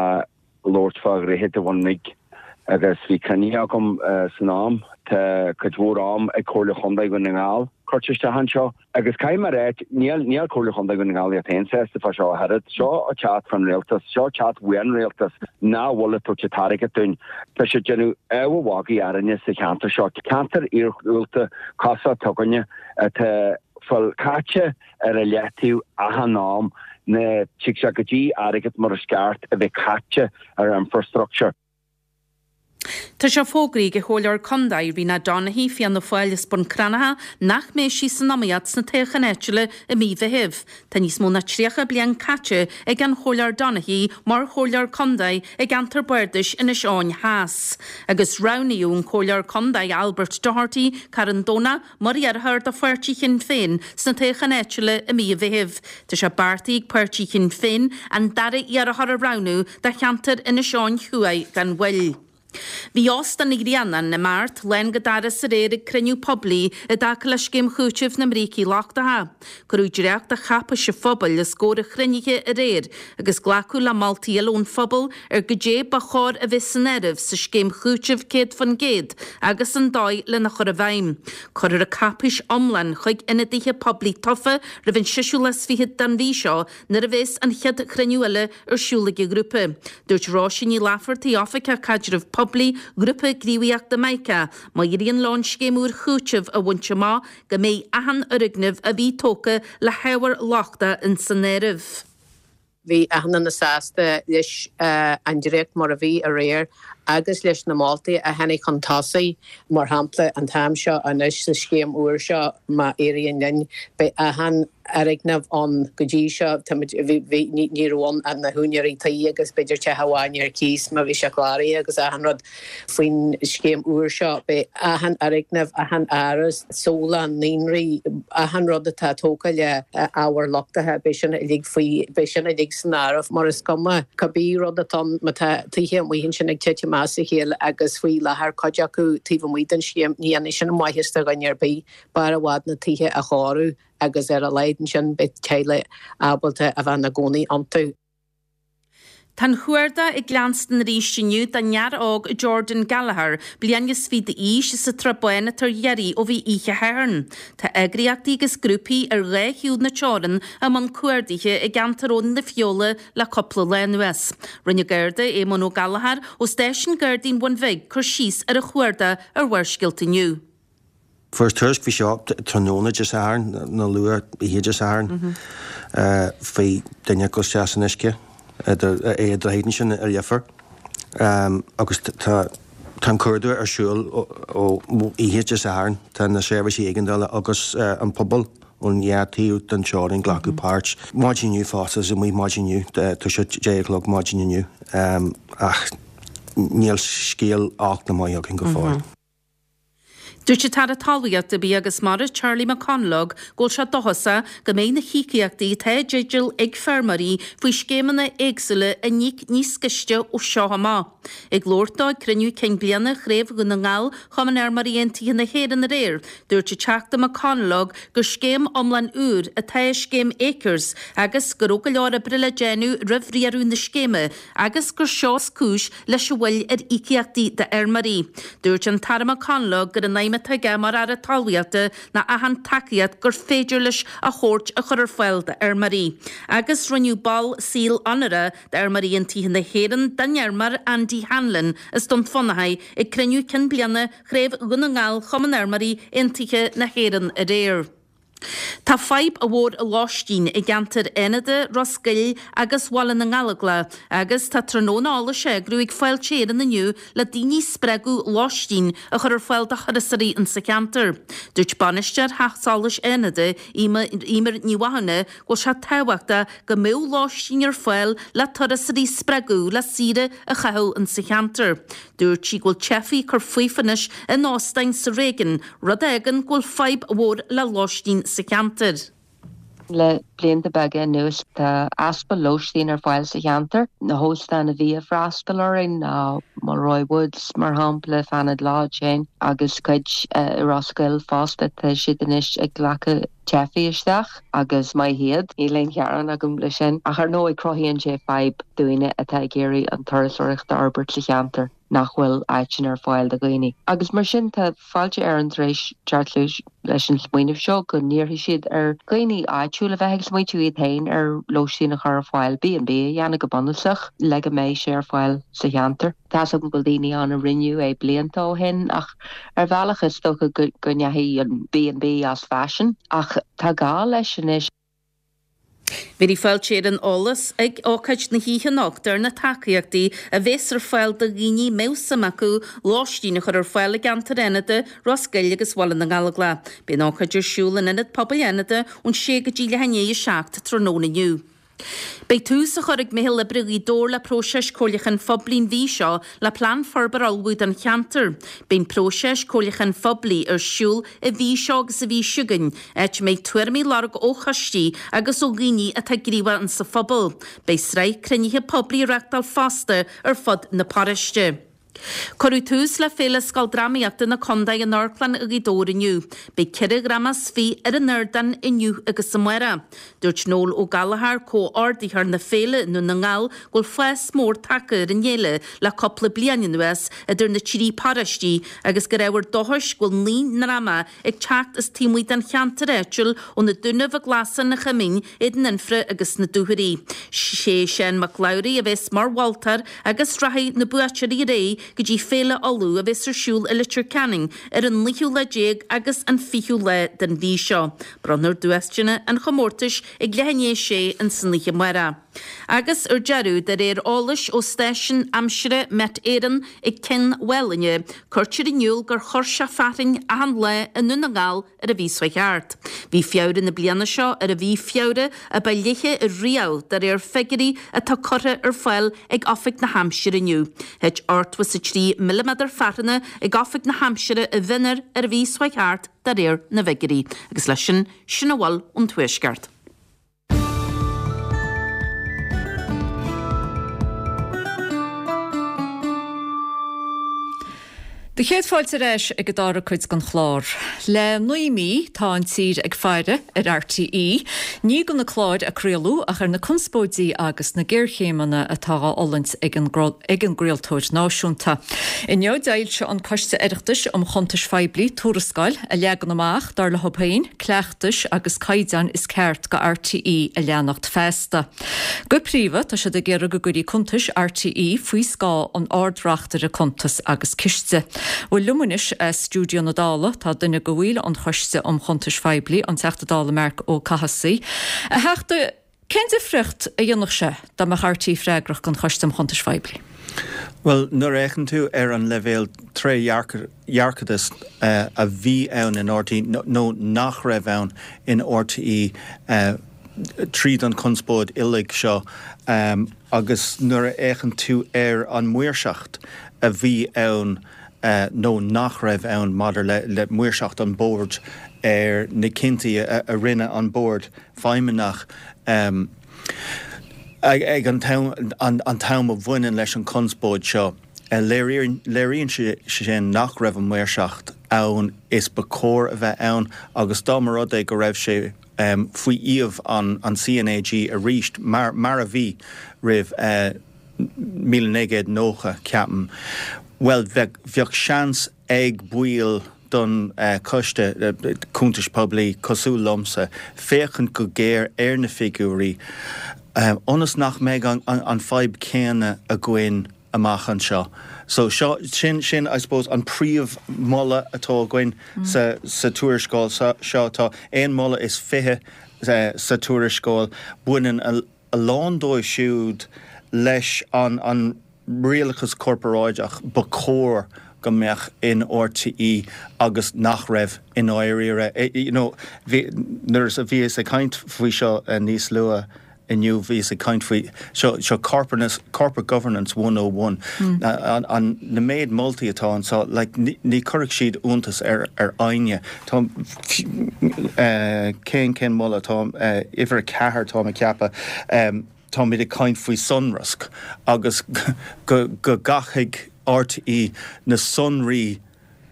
labhairt fá Dhroichead an Bhun Bhig agus bhí cruinnithe agam san am. Tá cuid mhór am ag Comhairle Chontae Dhún na nGall curtha isteach anseo. Agus caithfidh mé a ráit, níl, níl Comhairle Chontae Dhún na nGall iad féin sásta fá seo ach oiread. Seo ag teacht fán rialtas, seo ag teacht uaidh an rialtas nach bhfuil ag tabhairt an t-airgead dúinn. Tá siad ag déanamh abha mhagaidh orainne sa cheantar seo, ceantar iargúlta cosúil t'againne atá fuil caite ar a leataobh achan am, ná tig sé go dtí airgead mar is ceart a bheith caite ar infrastructure. Tá sé fógraithe ag an Chomhairleoir Condae, Rena Donaghey, Fianna Fáil as Bun Cranncha, nach mbeidh sí san iomaíocht sna toghcháin áitiúla i mí Mheithimh. Tá níos mó ná 30 bliain caite ag an Chomhairleoir Donaghey mar Chomhairleoir Condae i gceantar Bardais Inis Eoghain Theas. Agus roghnaíodh an Comhairleoir Condae Albert Doherty, Carn Domhnach, mar iarrthóir do pháirtí Shinn Féin sna toghcháin áitiúla i mí an Mheithimh. Tá sé beartaithe ag páirtí Shinn Féin an dara iarrthóir a roghnú do cheantar Inis Eoghain Thuaidh gan mhoill. Bhí Óstán an Ghrianáin i mBeart lán go doras aréir ag cruinniú poiblí i dtaca le scéim chúitimh na mbrící lochtacha. Cuireadh dréacht de cháipéis an phobail os comhair an chruinnithe aréir agus glacadh le moltaí eile ón phobal ar goidé ba chóir a bheith san áireamh sa scéim chúitimh 100% agus an dóigh lena chur i bhfeidhm. Cuirfear an cáipéis iomlán chuig ionadaithe poiblí tofa roimh an seisiú lá is fichead den mhí seo nuair a bheas an chéad chruinniú eile ar siúl ag an ghrúpa. Dúirt Róise Ní Laifeartaigh, Oifigeach Caidrimh Poiblí, Ghrúpa Gníomhaíochta Mica, má éiríonn leo an scéim úr chúitimh a bhaint amach go mbeidh achan fhoirgneamh a bhí tógtha le hábhar lochtach ins an áireamh. Bhí achan duine sásta leis an dréacht mar a bhí aréir agus leis na moltaí a tháinig chun tosaigh. Mar shampla, an t-am seo anois sa scéim úr seo, má éiríonn linn, beidh achan fhoirgneamh ann. Go dtí seo, táimid, bhí, bhí, ní, ní raibh ann ach na húinéirí tí agus b'fhéidir teach amháin ar cíos má bhí sé cláraithe agus achan rud. Faoin scéim úr seo, beidh achan fhoirgneamh, achan áras, saolann, naíonraí, achan rud atá tógtha le ábhair lochtacha, beidh sin uilig faoi, beidh sin uilig san áireamh mar is cuma cibé rud atá ann, má tá tithe amuigh ansin ag titim as a chéile agus faoi láthair cuid acu taobh amuigh den scéim, ní dhéanfaidh sin maitheas do dhuine ar bith, b'fhearr i bhfad na tithe a chóiriú agus ar a laghad ansin beidh teaghlaigh ábalta a bheith ina gcónaí iontu. Tá an chuardach ag leanstan arís inniu don fhear óg Jordan Gallagher, bliain is fiche d'aois, as an tSrath Bán atá ar iarraidh ó bhí oíche Shathairn. Tá eagraíochtaí agus grúpaí ar dhá thaobh na teorann i mbun cuardaithe i gceantar Abhainn na Feola le cúpla lá anuas. Rinne Garda Éamonn Ó Gallchóir ó stáisiún Gardaí an Bhun Bhig cur síos ar an chuardach ar Bharrscéalta inniu. Fuarthas tuairisc faoi seo tráthnóna Dé Sathairn, nó luath oíche Dé Sathairn, faoi duine ag dul isteach san uisce, idir é i droichead ansin i Leifear. Agus tá an cuardach ar siúl ó oíche Dé Sathairn. Tá na seirbhísí éigeandála agus an pobal ón dhá taobh den teorainn ag glacadh páirt. Maidin inniu fosta, is amuigh maidin inniu, tá sé 10 a chlog maidin inniu, ach níl scéal olc ná maith againn go fóill. Dúirt an tAire Talmhaíochta, Bia agus Mara, Charlie McConalogue, go bhfuil sé dóchasach go mbeidh na híocaíochtaí atá i dteideal ag feirmeoirí faoi scéimeanna éagsúla á n-íoc níos gaiste ó seo amach. Ag labhairt dó ag cruinniú cinn bliana Chraobh Dhún na nGall Chumann Fheirmeoirí Aontaithe na hÉireann aréir, dúirt an Teachta McConalogue gur scéim iomlán úr atá i scéim Acres agus go raibh go leor oibre le déanamh roimh riaradh na scéime agus gur seo is cúis leis an mhoill ar íocaíochtaí d'fheirmeoirí. Dúirt an tAire McConalogue gur an aidhm atá aige mar Aire Talmhaíochta ná achan tacaíocht gur féidir leis a thabhairt a chur ar fáil d'fheirmeoirí. Agus rinneadh ball saoil onóracha d'Fheirmeoirí Aontaithe na hÉireann den fheirmeoir Andy Hanlon as Dún Fionnachaidh ag cruinniú cinn bliana Chraobh Dhún na nGall Chumann Fheirmeoirí Aontaithe na hÉireann aréir. Tá fadhb mhór lóistín i gceantar Fhánada, Ros Goill agus Bhaile na nGallóglach agus tá tráthnóna eolais á eagrú ag Fáilte Éireann inniu le daoine a spreagadh lóistín a chur ar fáil do thurasóirí insa cheantar. Dúirt bainisteoir Theach Solais Fhánada, Eimear Ní Mhathúna, go bhfuil sé tábhachtach go mbeadh lóistín ar fáil le turasóirí a spreagadh le saoire a chaitheamh insa cheantar. Dúirt sí go bhfuil teifigh ag cur faofa anois in óstáin sa réigiún, rud a fhágann go bhfuil fadhb mhór le lóistín sa cheantar. Le blianta beaga anuas tá easpa lóistín ar fáil sa cheantar. Na hóstáin a bhí ag freastal orainn ná Mulroy Woods mar shampla, Fanad Lodge féin agus cuid i Ros Goill fosta. Tá siad anois ag glacadh teifigh isteach agus maith iad, níl aon ghearán agam le sin. Ach ar ndóigh cruthaíonn sé fadhb daoine atá ag iarraidh an turasóireacht a fhorbairt sa cheantar nach bhfuil áiteanna ar fáil do dhaoine. Agus mar sin tá Fáilte Éireann tar éis teacht leis an smaoineamh seo go n-iarrfaidh siad ar dhaoine áitiúil a bheith ag smaointiú iad féin ar lóistín a chur ar fáil, B&B a dhéanamh go bunúsach, le go mbeidh sé ar fáil sa cheantar. Tá's agam go bhfuil daoine ann a rinneadh é blianta ó shin ach ar bhealach is dócha go ndeachaigh an B&B as faisean ach tá gá leis anois. Bhéarfaidh Fáilte Éireann eolas ag ócáid na hoíche anocht ar na tacaíochtaí a bhéas ar fáil do dhaoine a mbeadh suim acu lóistín a chur ar fáil i gceantar Fhánada, Ros Goill agus Bhaile na nGallóglach. Beidh an ócáid ar siúl in Ionad Pobail Fhánada ón 6 go dtí leath i ndiaidh a 7 tráthnóna inniu. Beidh tús á chur ag Meitheal Oibre Ghaoth Dobhair le próiseas comhairliúcháin phoiblí an mhí seo le plean forbartha a ullmhú don cheantar. Beidh an próiseas comhairliúcháin phoiblí ar siúl an mhí seo agus an mhí seo chugainn, áit a mbeidh tuairimí á lorg ó choistí agus ó dhaoine atá gníomhach insa phobal. Beidh sraith cruinnithe poiblí á reachtáil fosta ar fud na paróiste. Cuireadh tús le Féile Scoildrámaíochta na Condae in Amharclann Ghaoth Dobhair inniu. Beidh 14 dhráma ar an ardán inniu agus amárach. Dúirt Noel Ó Gallchóir, comhordaitheoir na féile i nDún na nGall, go bhfuil fás mór tagtha ar an fhéile le cúpla bliain anuas idir na trí paróistí agus gur ábhar dóchais go bhfuil 9 ndráma ag teacht as taobh amuigh den cheantar áitiúil ó na Dúnaibh, an Glasach, an Choimín, Éadan Fhionnfhraoigh agus na Dúchoraidh. Sé Seán Mac Labhraí a bheas mar mholtóir agus rachaidh na buaiteoirí ar aghaidh go dtí Féile Uladh a bheas ar siúl i Leitir Ceanainn ar an naoú lá déag agus an fichiú lá den mhí seo. Bronnfar duaiseanna an chomórtais ag leath i ndiaidh a sé ins an oíche amárach. Agus ar deireadh, de réir eolais ó stáisiún aimsire Met Éireann ag Cionn Mhálanna, cuirtear in iúl gur chuir sé fearthainn achan lá i nDún na nGall ar an mhí seo thart. Bhí Feabhra na bliana seo ar an mhí Feabhra a ba fhliche riamh de réir figiúirí atá curtha ar fáil ag Oifig na hAimsire inniu. Thit 83 milliméadar fearthanna ag Oifig na hAimsire i bhFionnúr ar an mhí seo thart de réir na bhfigiúirí. Agus leis sin, sin a bhfuil ón Tuaisceart. Do chéad fáilte ar ais ag an dara cuid den chlár. Le 9 mí tá an tír ag faire ar RTÉ, ní do na cláir a craoladh ach ar na conspóidí agus na géarchéimeanna atá á fhulaingt ag an gcraoltóir náisiúnta. Inniu d'fhoilsigh an Coiste Oireachtais um Chuntais Phoiblí tuarascáil a leagann amach, dar leo féin, cleachtais agus caighdeáin is ceart go RTÉ a leanacht feasta. Go príomha, tá siad ag iarraidh go gcuirfí cuntais RTÉ faoi scáth an Ard-Reachtaire Cuntas agus Ciste. Bhuel, liom anois as stiúideo na Dála tá duine de bhaill an Choiste um Chuntais Phoiblí, an Teachta Dála Marc Ó Cathasaigh. A Theachta, Cén difríocht a dhéanfadh sé dá mbeadh RTÉ freagrach don Choiste um Chuntais Phoiblí? Bhuel, nuair a fhéachann tú ar an leibhéal trédhearcachais a bhí ann in RTÉ nó nach raibh ann in RTÉ tríd an chonspóid uilig seo agus nuair a fhéachann tú ar an maoirseacht a bhí ann nó nach raibh ann maidir le maoirseacht an bhoird ar na cinntí a rinne an bord feidhmeannach ag an t-am a bhaineann leis an chonspóid seo. Léiríonn sé sin nach raibh an mhaoirseacht ann is ba chóir a bheith ann agus dá mba rud é go raibh sé faoi iamh an CNAG arís mar a bhí roimh 1990, ceapaim, bhuel bheadh seans ag baill don Choiste Cuntais Poiblí, cosúil liomsa, féachaint go géar ar na figiúirí ionas nach mbeidh an fadhb chéanna againn amach anseo. So seo, sin, sin I suppose an príomh mholadh atá againn sa, sa tuarascáil seo. Tá aon mholadh is 20 sa tuarascáil. Baineann a. a lán dóibh siúd leis an rialachas corparáideach ba chóir go mbeadh in RTÉ agus nach raibh i ndáiríre. You know, bhí, nuair a bhíos ag caint faoi seo níos luaithe inniu, bhíos ag caint faoi seo, seo corporate governance 101, an, an, na méid moltaí atá anseo, like, ní, ní chuirfeadh siad iontas ar, ar éinne. Tá, cén, cén moladh atá, uimhir 4 táim ag ceapadh, táimid ag caint faoi sonrasc agus go, go gcaithfidh RTÉ na sonraí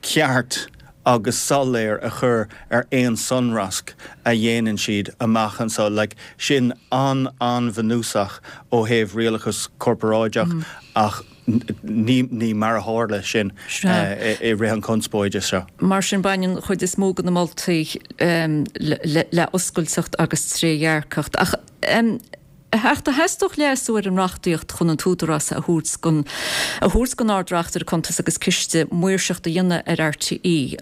ceart agus soiléir a chur ar aon sonrasc a dhéanann siad amach anseo. Like, sin an, an-bhunúsach ó thaobh rialachas corparáideach ach ní mar a tharla sin i rith an chonspóide seo. Mar sin, baineann an chuid is mó de na moltaí le oscailteacht agus trédhearcacht. Ach a Theachta, theastódh leasú ar an reachtaíocht chun an t-údarás a thabhairt don a thabhairt don Ard-Reachtaire Cuntas agus Ciste maoirseacht a dhéanamh ar RTÉ.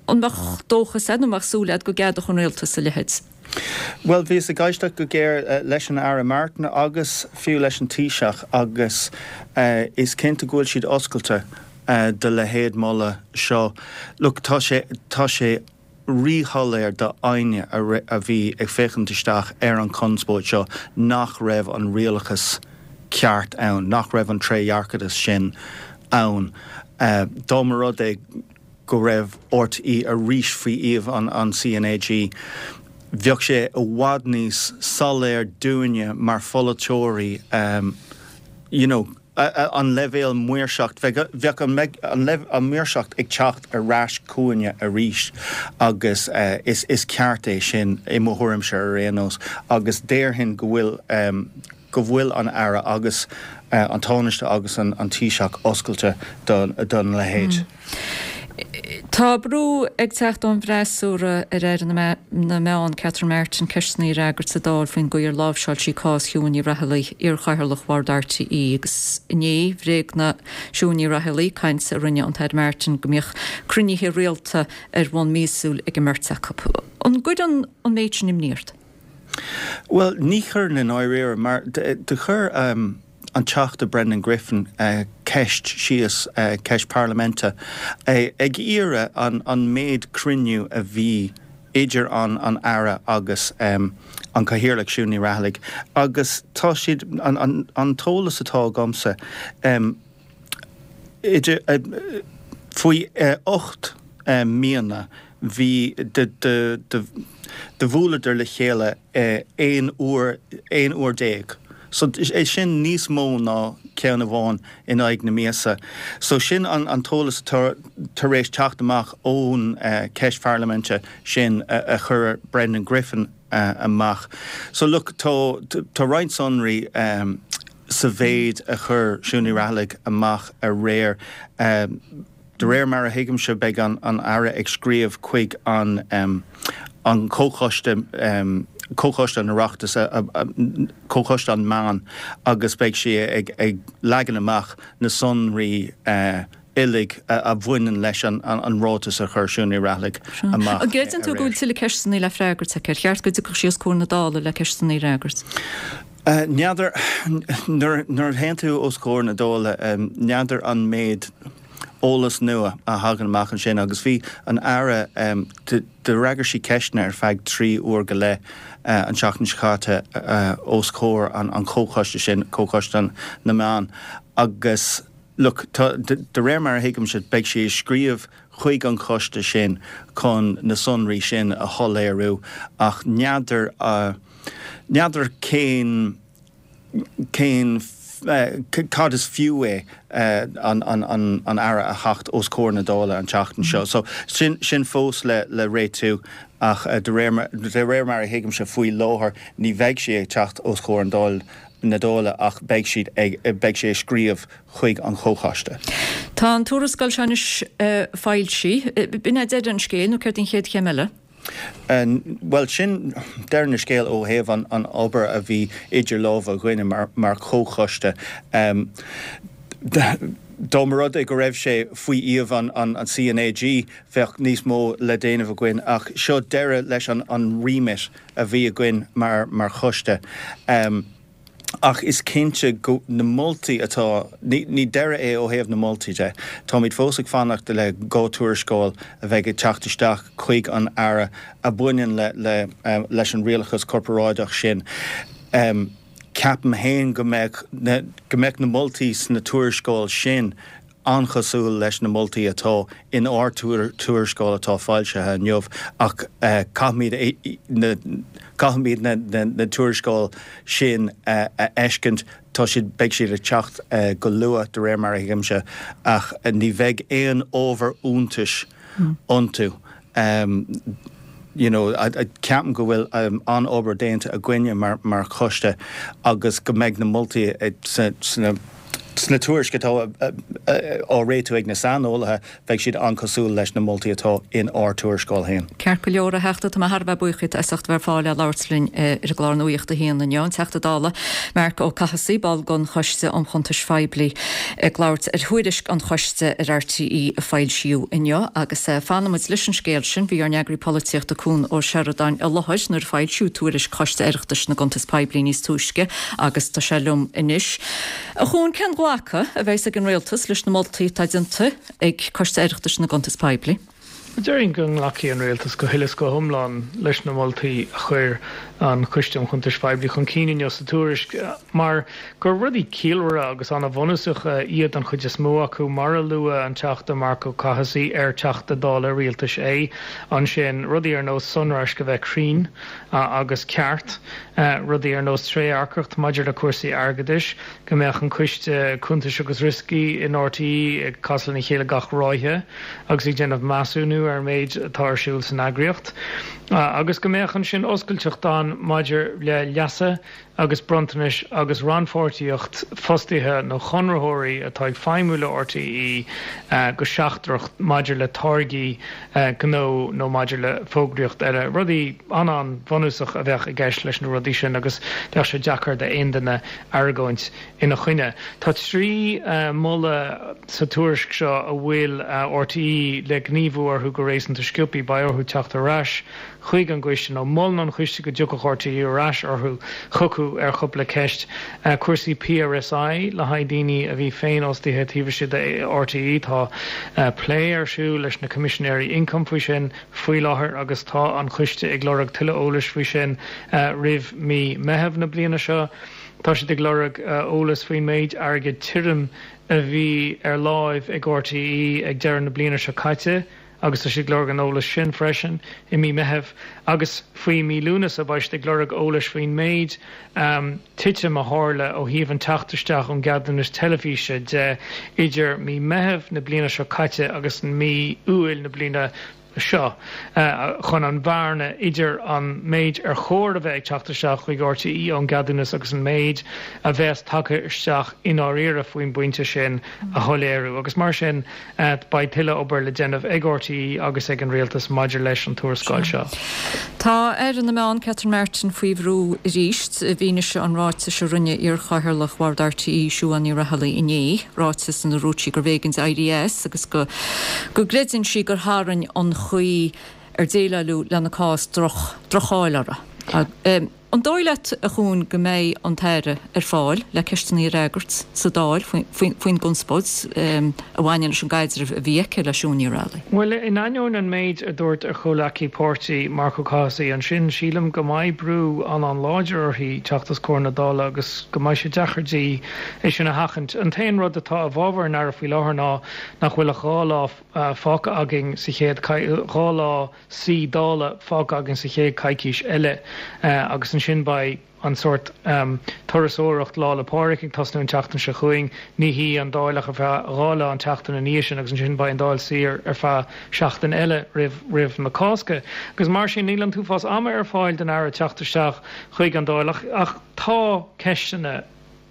An mbeadh dóchas agat nó an mbeadh súil agat go gceadódh an Rialtas a leithéid? Bhuel, bhíos ag éisteacht go géar leis an Aire Martin agus fiú leis an Taoiseach agus is cinnte go bhfuil siad oscailte do leithéid moladh seo. Look, tá sé, tá sé ríshoiléir do éinne a bhí ag féachaint isteach ar an chonspóid seo nach raibh an rialachas ceart ann, nach raibh an trédhearcadas sin ann. Dá mba rud é go raibh RTÉ arís faoi iamh an CNAG, bheadh sé i bhfad níos soiléir dúinne mar pholaiteoirí you know an leibhéal maoirseacht, bheadh an maoirseacht ag teacht ar ais chugainne arís agus is ceart é sin i mo thuairimse ar aon nós agus déarfainn go bhfuil go bhfuil an Aire agus an Tánaiste agus an Taoiseach oscailte don leithéid. Tá brú ag teacht ón bhfreasúra ar Aire na Meán, Catherine Martin, ceisteanna a fhreagairt sa Dáil faoin gcaoi ar láimhseáil sí cás Shiún Ní Raghallaigh, iarchathaoirleach Bhord RTÉ, agus inné bhréagnaigh Siún Ní Raghallaigh caint a rinne an tAire Martin go mbíodh cruinnithe rialta ar bhonn míosúil ag an mbeirt acu. An gcuireann an méid sin imní ort? Bhuel, ní chuireann i ndáiríre, mar do chuir an Teachta Brendan Griffin ceist síos, ceist parlaiminte, ag iarraidh an méid cruinniú a bhí idir an Aire agus an Cathaoirleach Siún Ní Raghallaigh agus tá siad, an t-eolas atá agamsa, idir, faoi 8 míonna bhí, do bhuaileadar le chéile 11 uair, 11 uair. So é sin níos mó ná ceann amháin in aghaidh na míosa. So sin an t-eolas atá tar éis teacht amach ón cheist pharlaiminte sin a chuir Brendan Griffin amach. So look, tá tá roinnt sonraí sa mhéid a chuir Siún Ní Raghallaigh amach aréir. De réir mar a thuigimse, beidh an Aire ag scríobh chuig an an Comhchoiste, Comhchoiste an Oireachtais, Comhchoiste an Meán agus beidh sí ag leagan amach na sonraí uilig a bhaineann leis an ráiteas a chuir Siún Ní Raghallaigh amach An gcreideann tú go bhfuil tuilleadh ceisteanna le freagairt aici? Ar cheart go dtiocfadh sí os comhair na Dála le ceisteanna a fhreagairt? N'fheadar. Nuair a théann tú os comhair na Dála, n'fheadar an méid eolas nua a thagann amach ansin agus bhí an Aire, d'fhreagair sí ceisteanna ar feadh 3 uair go leith an tseachtain seo caite os comhair an chomhchoiste sin, Comhchoiste na Meán, agus look, tá, de réir mar a thuigimse, beidh sí ag scríobh chuig an choiste sin chun na sonraí sin a shoiléiriú ach n'fheadar, N'fheadar cén, cén, cad is fiú é an, an, an Aire a theacht os comhair na Dála an tseachtain seo. So sin, sin fós le, le réitiú ach de réir mar, de réir mar a thuigimse faoi láthair ní bheidh sí ag teacht os comhair an Dáil, na Dála ach beidh siad ag, beidh sí ag scríobh chuig an Chomhchoiste. Tá an tuarascáil seo anois foilsithe. B'in é deireadh an scéil nó céard an chéad chéim eile? Bhuel, sin deireadh na scéal ó thaobh an obair a bhí idir lámha againne mar chomhchoiste. Dá mba rud é go raibh sé faoi iamh an CnaG, bheadh níos mó le déanamh againn ach seo deireadh leis an remit a bhí againn mar choiste. Ach is cinnte go, na moltaí atá, ní, ní deireadh é ó thaobh na moltaí de. Táimid fós ag fanacht le 2 tuarascáil a bheidh ag teacht isteach chuig an Aire a bhaineann le, le, leis an rialachas corparáideach sin. Ceapaim féin go mbeadh na, go mbeadh na moltaí sna tuarascáil sin an-chosúil leis na moltaí atá in ár tuarascáil atá foilsithe inniu ach caithfimid na caithfimid na tuarascáil sin a fheiscint. Tá siad beidh siad ag teacht go luath de réir mar a thuigimse ach ní bheidh aon ábhar iontais iontu. You know, ceapaim go bhfuil an-obair déanta againne mar mar choiste agus go mbeidh na moltaí sna sna tuairisc atá á réitiú ag na saineolaithe, beidh siad an-chosúil leis na moltaí atá in ár tuarascáil féin. Ceart go leor, a Theachta, tá mé thar a bheith buíoch díot as ucht a bheith ar fáil le labhairt linn ar an gclár Nuacht a hAon inniu. An Teachta Dála Marc Ó Cathasaigh, ball den Choiste um Chuntais Phoiblí, ag labhairt ar thuairisc an Choiste ar RTÉ a foilsíodh inniu. Agus fanfaimid leis an scéal sin. Bhí ár n-eagraí polaitíochta Cuan Ó Seireadáin i láthair nuair a foilsíodh tuairisc Choiste Oireachtais na gCuntas Poiblí níos túisce agus tá sé liom anois. A Chuain, cén glacadh a bheas ag an Rialtas leis na moltaí atá déanta ag Coiste Oireachtais na gCuntas Poiblí? Déarfainn go nglacfaidh an Rialtas go huile is go hiomlán leis na moltaí a chuir an Coiste um Chuntais Phoiblí chun cinn inniu sa tuairisc mar gur rudaí ciallmhara agus an-bhunúsacha iad an chuid is mó acu, mar a luaigh an Teachta Marc Ó Cathasaigh, ar Teachta Dála Rialtais é, ansin, rudaí ar nós sonraisc a bheith cruinn agus ceart, rudaí ar nós trédhearcacht maidir le cúrsaí airgeadais, go mbeadh an Coiste Cuntais agus Rioscaí in RTÉ ag casadh lena chéile gach ráithe agus ag déanamh measúnú ar an méid atá ar siúl san eagraíocht, agus go mbeadh ansin oscailteacht ann maidir le leasa agus bronntanais agus rannpháirtíocht fostaithe nó conraitheoirí atá ag feidhmiú le RTÉ go seachtrach maidir le táirgí gnó nó maidir le fógraíocht eile. Rudaí an-an-bhunúsach a bheadh i gceist leis na rudaí sin agus bheadh sé deacair d'aon duine argóint ina choinne. Tá 3 mholadh sa tuairisc seo a bhfuil RTÉ le gníomhú orthu. go réasúnta sciobthaí beidh orthu teacht ar ais chuig an gcoiste, nó molann an coiste go dtiocfadh RTÉ ar ais orthu, chucu ar chúpla ceist. Cúrsaí PRSI le haghaidh daoine a bhí féinfhostaithe taobh istigh de RTÉ, tá plé ar siúl leis na Coimisinéirí Ioncaim faoi sin faoi láthair agus tá an coiste ag lorg tuilleadh eolais faoi sin roimh mí Meitheamh na bliana seo. Tá siad ag lorg eolas faoin méid airgead tirim a bhí ar láimh ag RTÉ ag deireadh na bliana seo caite agus tá siad ag lorg an eolais sin freisin i mí Meithimh agus faoi mí Lúnasa beidh siad ag lorg eolais faoin méid titim a tharla ó thaobh an teacht isteach ón gceadúnas teilifíse de idir mí Meithimh na bliana seo caite agus mí Iúil na bliana seo chun an bhearna idir an méid ar chóir a bheith ag teacht isteach chuig RTÉ ón gceadúnas agus an méid a bheas tagtha isteach i ndáiríre faoin bpointe sin a shoiléiriú. Agus mar sin, beidh tuilleadh obair le déanamh ag RTÉ agus ag an Rialtas maidir leis an tuarascáil seo. Tá Aire na Meán, Catherine Martin, faoi bhrú arís i bhfianaise an ráitis a rinne iar-chathaoirleach Bhord RTÉ, Siún Ní Raghallaigh inné, ráiteas ina ndúirt sí gurbh éigean di éirí as agus go go gcreideann sí gur tharraing an chaoi ar déileáladh lena cás droch, droch-cháil uirthi. An dóigh leat, a Chuain, go mbeidh an tAire ar fáil le ceisteanna a fhreagairt sa Dáil faoin gconspóid a bhaineann leis an gcaidreamh a bhí aici le Siún Ní Raghallaigh? Bhuel, in ainneoin an méid a dúirt a comhleacaí páirtí, Marc Ó Cathasaigh, ansin, sílim go mbeidh brú an-an-láidir uirthi teacht os comhair na Dála agus go mbeidh sé deacair di é sin a sheachaint. An t-aon rud atá i bhfabhar an Aire faoi láthair ná nach bhfuil ach 2 lá fágtha againn sa chéad, 2 lá suí Dála fágtha againn sa chéad choicís eile agus ansin beidh an sórt turasóireacht Lá 'le Pádraig ag tosnú an tseachtain seo chugainn. Ní shuífidh an Dáil ach ar feadh 2 lá an tseachtain ina dhiaidh sin agus ansin beidh an Dáil saor ar feadh seachtain eile roimh roimh na Cásca. Agus mar sin níl an t-uafás ama ar fáil don Aire teacht isteach chuig an Dáil ach ach tá ceisteanna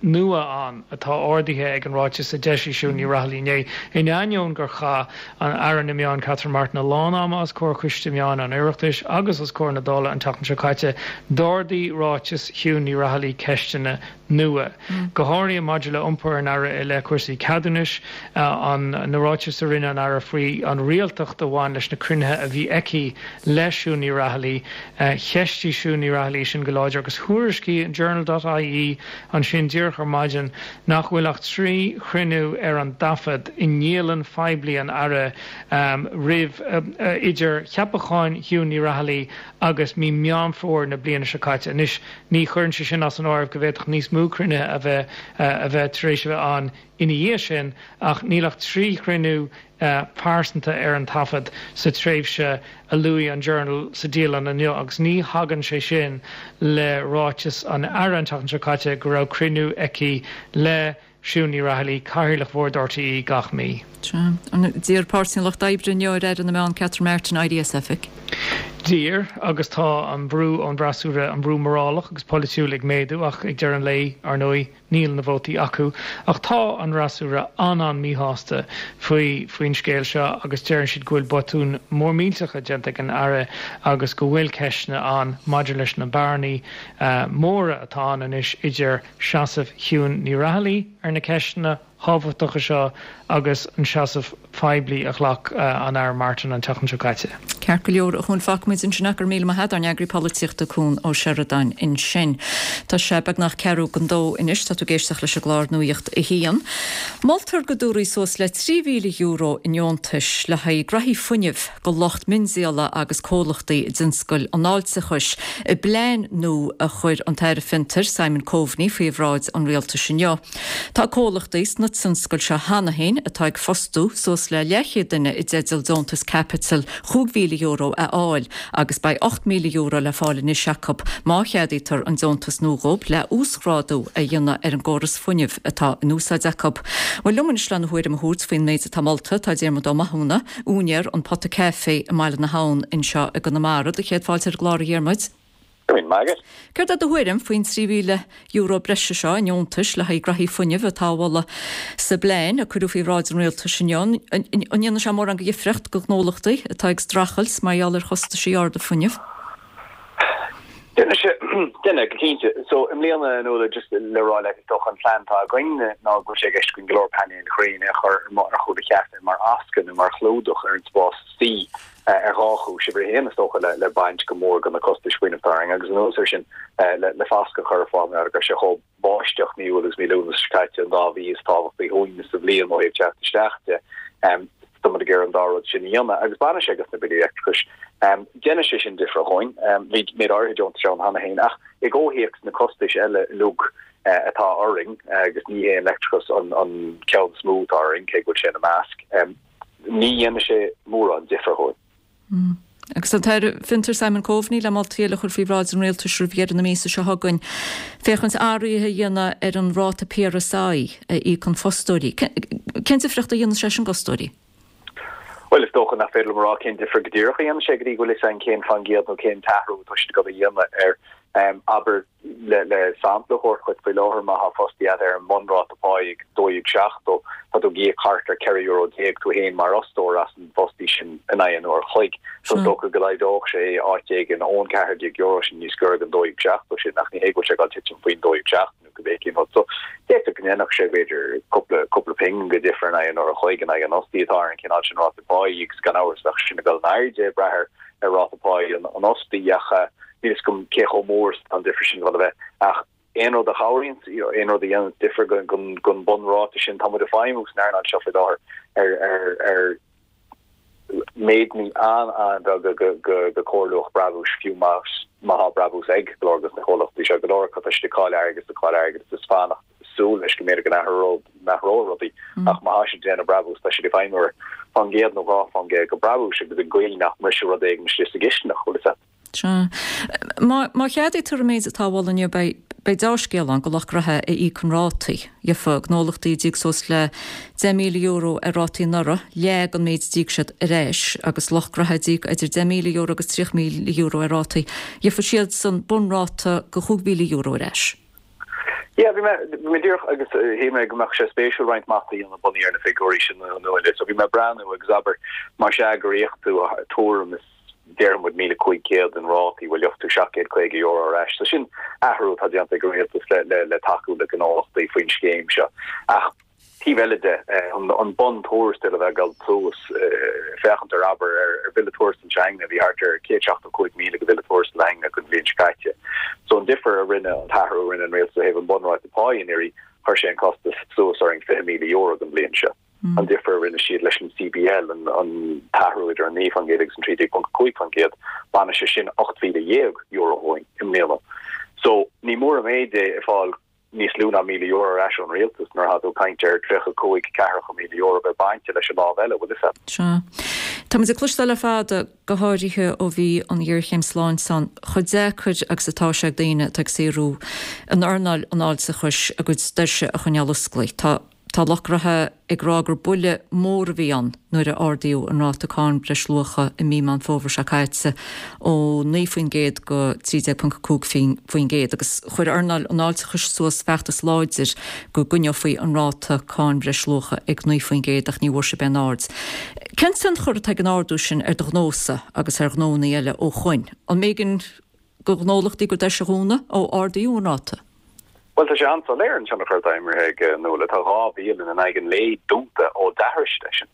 nua ann atá ardaithe ag an ráiteas a d'eisigh Siún Ní Raghallaigh inné. In ainneoin gur chaith an Aire na Meán Catherine Martin a lán ama os comhair Choiste Meán an Oireachtais agus os comhair na Dála an tseachtain seo caite, d'ardaigh ráiteas Shiún Ní Raghallaigh ceisteanna nua, go háirithe maidir le iompar an Aire i leith cúrsaí ceadúnais, an na ráitis a rinne an Aire faoi an rialtacht a bhain leis na cruinnithe a bhí aici le Siún Ní Raghallaigh. Cheistigh Siún Ní Raghallaigh sin go láidir agus thuairiscigh an Journal dot ie ansin díreach ar maidin nach bhfuil ach 3 chruinniú ar an dtaifead i ndialann phoiblí an Aire roimh idir cheapachán Shiún Ní Raghallaigh agus mí Meán Fómhair na bliana seo caite. Anois ní chuireann sé sin as an áireamh go bhféadfadh níos mó cruinnithe a bheith a bheith tar éis a bheith ann ina dhiaidh sin ach níl ach 3 chruinniú pearsanta ar an taifead sa tréimhse a luaigh an Journal sa dialann inniu agus ní thagann sé sin le ráiteas an Aire an tseachtain seo caite go raibh cruinniú aici le Siún Ní Raghallaigh, Cathaoirleach Bhord RTÉ, gach mí. Sea. D'iarr Páirtí an Lucht Oibre inniu ar Aire na Meán Catherine Martin éirí as oifig. D'iarr, agus tá an brú ón bhfreasúra, an brú morálach agus polaitiúil ag méadú ach ag deireadh an lae, ar ndóigh, Níl na vótaí acu. Ach tá an fhreasúra an-an-míshásta faoi faoin scéal seo agus deireann siad go bhfuil botúin mór millteacha déanta ag an Aire agus go bhfuil ceisteanna ann maidir leis na bearnaí móra atá ann anois idir seasamh Shiún Ní Raghallaigh ar na ceisteanna thábhachtacha seo agus an seasamh poiblí a ghlac an Aire Martin an tseachtain seo caite. Ceart go leor, a Chuain, fágfaimid ansin é. Go raibh míle maith agat, ár n-eagraí polaitíochta Cuan Ó Seireadáin ansin. Tá sé beagnach ceathrú don dó anois, tá tú ag éisteacht leis an gclár Nuacht a hAon. Moltar go dtabharfaí suas le €3,000 i ndeontais le haghaidh graithí fuinnimh do lucht miondíola agus comhlachtaí i dtionscal an fháilteachais i bplean nua a chuir an tAire Fiontair Simon Coveney faoi bhráid an Rialtais inniu. Tá comhlachtaí sna tionscail seo cheana féin atá ag fostú suas le leathchéad duine i dteideal deontas caipitil €5,000 a fháil agus beidh €8,000 le fáil anois acu má cheadaítear an deontas nua dhóibh le uasghrádú a dhéanamh ar an gcóras fuinnimh atá in úsáid acu. Bhuel, liom anois lena thuairim a thabhairt faoin méid atá molta tá Diarmuid Ó Mathúna, úinéir An Pota Caife i mBaile na hAbhann anseo i gConamara. Do chéad fáilte ar an gclár a Dhiarmuid. Go raibh maith agat. Céard é do thuairim faoin €3,000 breise seo i ndeontais le haghaidh graithí fuinnimh atá á mholadh sa bplean a cuireadh faoi bhráid an rialtais inniu? An ndéanfaidh sé mórán de dhifriocht do ghnólachtaí atá ag streachailt mar gheall ar chostaisí arda fuinnimh? Déanfaidh sé, déanfaidh, go cinnte. So, i mbliana, a Nuala, just le rá leat, is dócha an plean atá againn ná go bhfuil sé i gceist againn go leor painéil ghréine a chur ar chúl an chaifé mar fhoscadh nó mar chlúdach ar an spás istigh ar dhá chúis. Uimhir a haon, is dócha, le baint go mór de na costais fuinnimh atá orainn agus anuas air sin le foscadh a chur ar fáil mar go raibh sé chomh báisteach mí Iúil agus mí Lúnasa seo caite, an dá mhí is tábhachtaí dhúinn sa bhliain ó thaobh teacht isteach de. Tá muid ag iarraidh an dá rud sin a dhéanamh agus bainfidh sé de na billí leictreachais. Déanfaidh sé sin difear dhúinn. Bhí méid áirithe deontais ann cheana féin ach i gcomhthéacs na costais eile uilig atá orainn, agus ní hé an leictreachas an ceann is mó atá orainn, cé go bhfuil sé ina measc, ní dhéanfaidh sé mórán difear dhúinn. Agus tá an tAire Fiontar Simon Coveney le moltaí eile a chur faoi bhráid an Rialtais roimh dheireadh na míosa seo chugainn féachaint athruithe a dhéanamh ar an ráta PRSI a íocann fostóirí. Cén difríocht a dhéanann sé sin d'fhostóirí? Bhuel, is dócha nach féidir liom a rá cén difear go díreach a dhéanann sé go dtí go bhfuil fhios againn cén faoin gcéad nó cén t-athrú atá siad ag dul a dhéanamh air. Abair, le sampla a thabhairt dhuit, faoi láthair má tá fostaí agat ar an mbunráta páí ag 12.70, tá tú ag íoc thart ar 14 euro tú féin mar fhostóir as an bhfostaí sin in aghaidh an uair a chloig. So is dócha go laghdódh sé é áit éigin ón €14 sin níos gaire don 12.70 sin ach ní hé go bhfuil sé ag dul titim faoin 12.70 nó cibé cén rud. So d'fhéadfadh go ndéanfadh sé b'fhéidir cúpla cúpla pingin de dhifear in aghaidh an uair a chloig in aghaidh an fhostaí atá ar an chineál sin ráta páí agus gan amhras bheadh sin ag dul in airde ag brath ar ar ráta páí an fhostaí ach níl fhios agam cé chomh mór is atá an difear sin ag dul a bheith. Ach aon rud a chabhraíonn, aon rud a dhéanann difear don bunráta sin, tá muid ag feidhmiú san earnáil seo faoi láthair ar ar ar méideanna an-an-bheaga de chóirluach brabúis, fiú má má tá brabús ag go leor de na comhlachtaí seo, go leor acu tá siad ag cailleadh airgid is ag cailleadh airgid is fanacht súil leis go mb'fhéidir go n-athróidh rudaí ach má tá siad ag déanamh brabús tá siad ag feidhmiú ar faoin gcéad nó 2% de brabúis agus i gcaoi nach mbrisfidh rud éigin istigh sa gcistineach, bhfuil fhios a't. Sea. Má cheadaítear an méid atá á mholadh inniu beidh beidh deá-scéal ann do lucht gnoithe a íocann rátaí. Gheofa gnólachtaí a d'íoc suas le €10,000 ar rátaí anuraidh, leath den méid a d'íoc siad ar ais, agus lucht gnoithe a d'íoc idir €10,000 agus €30,000 ar rátaí, gheofa siadsan bunráta de €5,000 ar ais. Yeah, bhí mé, bhí mé díreach agus shíl mé go mbeadh sé spéisiúil roinnt mata a dhéanamh bunaithe ar na figiúirí sin a Nuala. So bhí mé ag breathnú agus abair, más ea gur íoc tú tuairim is déarfaidh muid 1,500 in rátaí, bhuel gheobhaidh tú €750 ar ais. So sin athrú atá déanta ag an rialtas le, le, le tacú le gnólachtaí faoin scéim seo. Ach taobh eile de, an bun tuarastail a bheith ag dul suas, féachaint ar, abair, ar bhille tuarastail s'againne, bhí thart ar 175,000 de bhille tuarastail againne don bhliain seo caite. So an difear a rinne, an t-athrú a rinne an rialtas ó thaobh an bunráta páí anuraidh, chuir sé an costas suas orainn €20,000 don bhliain seo. An difear a rinne siad leis an CBL, an t-athrú idir an 9% agus an 13.5%, baineadh sé sin €18,000 dhúinn i mbliana. So ní mór an méid é ag fáil níos lú ná €1,000 ar ais ón rialtas nuair atá tú ag caint ar 35, 40 mhíle euro bheith bainte leis an lámh eile, bhfuil fhios a't. Sea. Tá muid ag cloisteáil le fada, go háirithe ó bhí an ghéarchéim sláinte ann, chomh deacair agus atá sé ag daoine atá ag saothrú in earnáil an fháilteachais a gcuid doirse a choinneáil osclaí. Tá. Tá lucht gnoithe ag rá gur buille mór a bhí ann nuair a ardaíodh an ráta cáin breisluacha i mí Meán Fómhair seo caite ó 9% go 13.5% agus chuir earnáil an fháilteachais suas feachtas láidir go gcoinneofaí an ráta cáin bhreisluacha ag 9% ach ní bhfuair sibh aon aird. Cén tionchar atá ag an ardú sin ar do ghnósa agus ar ghnónna eile ó shoin? An mb'éigean do ghnólachtaí a gcuid doirse a dhúnadh ó ardaíodh an ráta. Bhuel, tá sé an-soiléir an tionchar atá imeartha aige, a Nuala. Tá 2 bhialann in aghaidh an lae dúnta ó d'athraigh siad é sin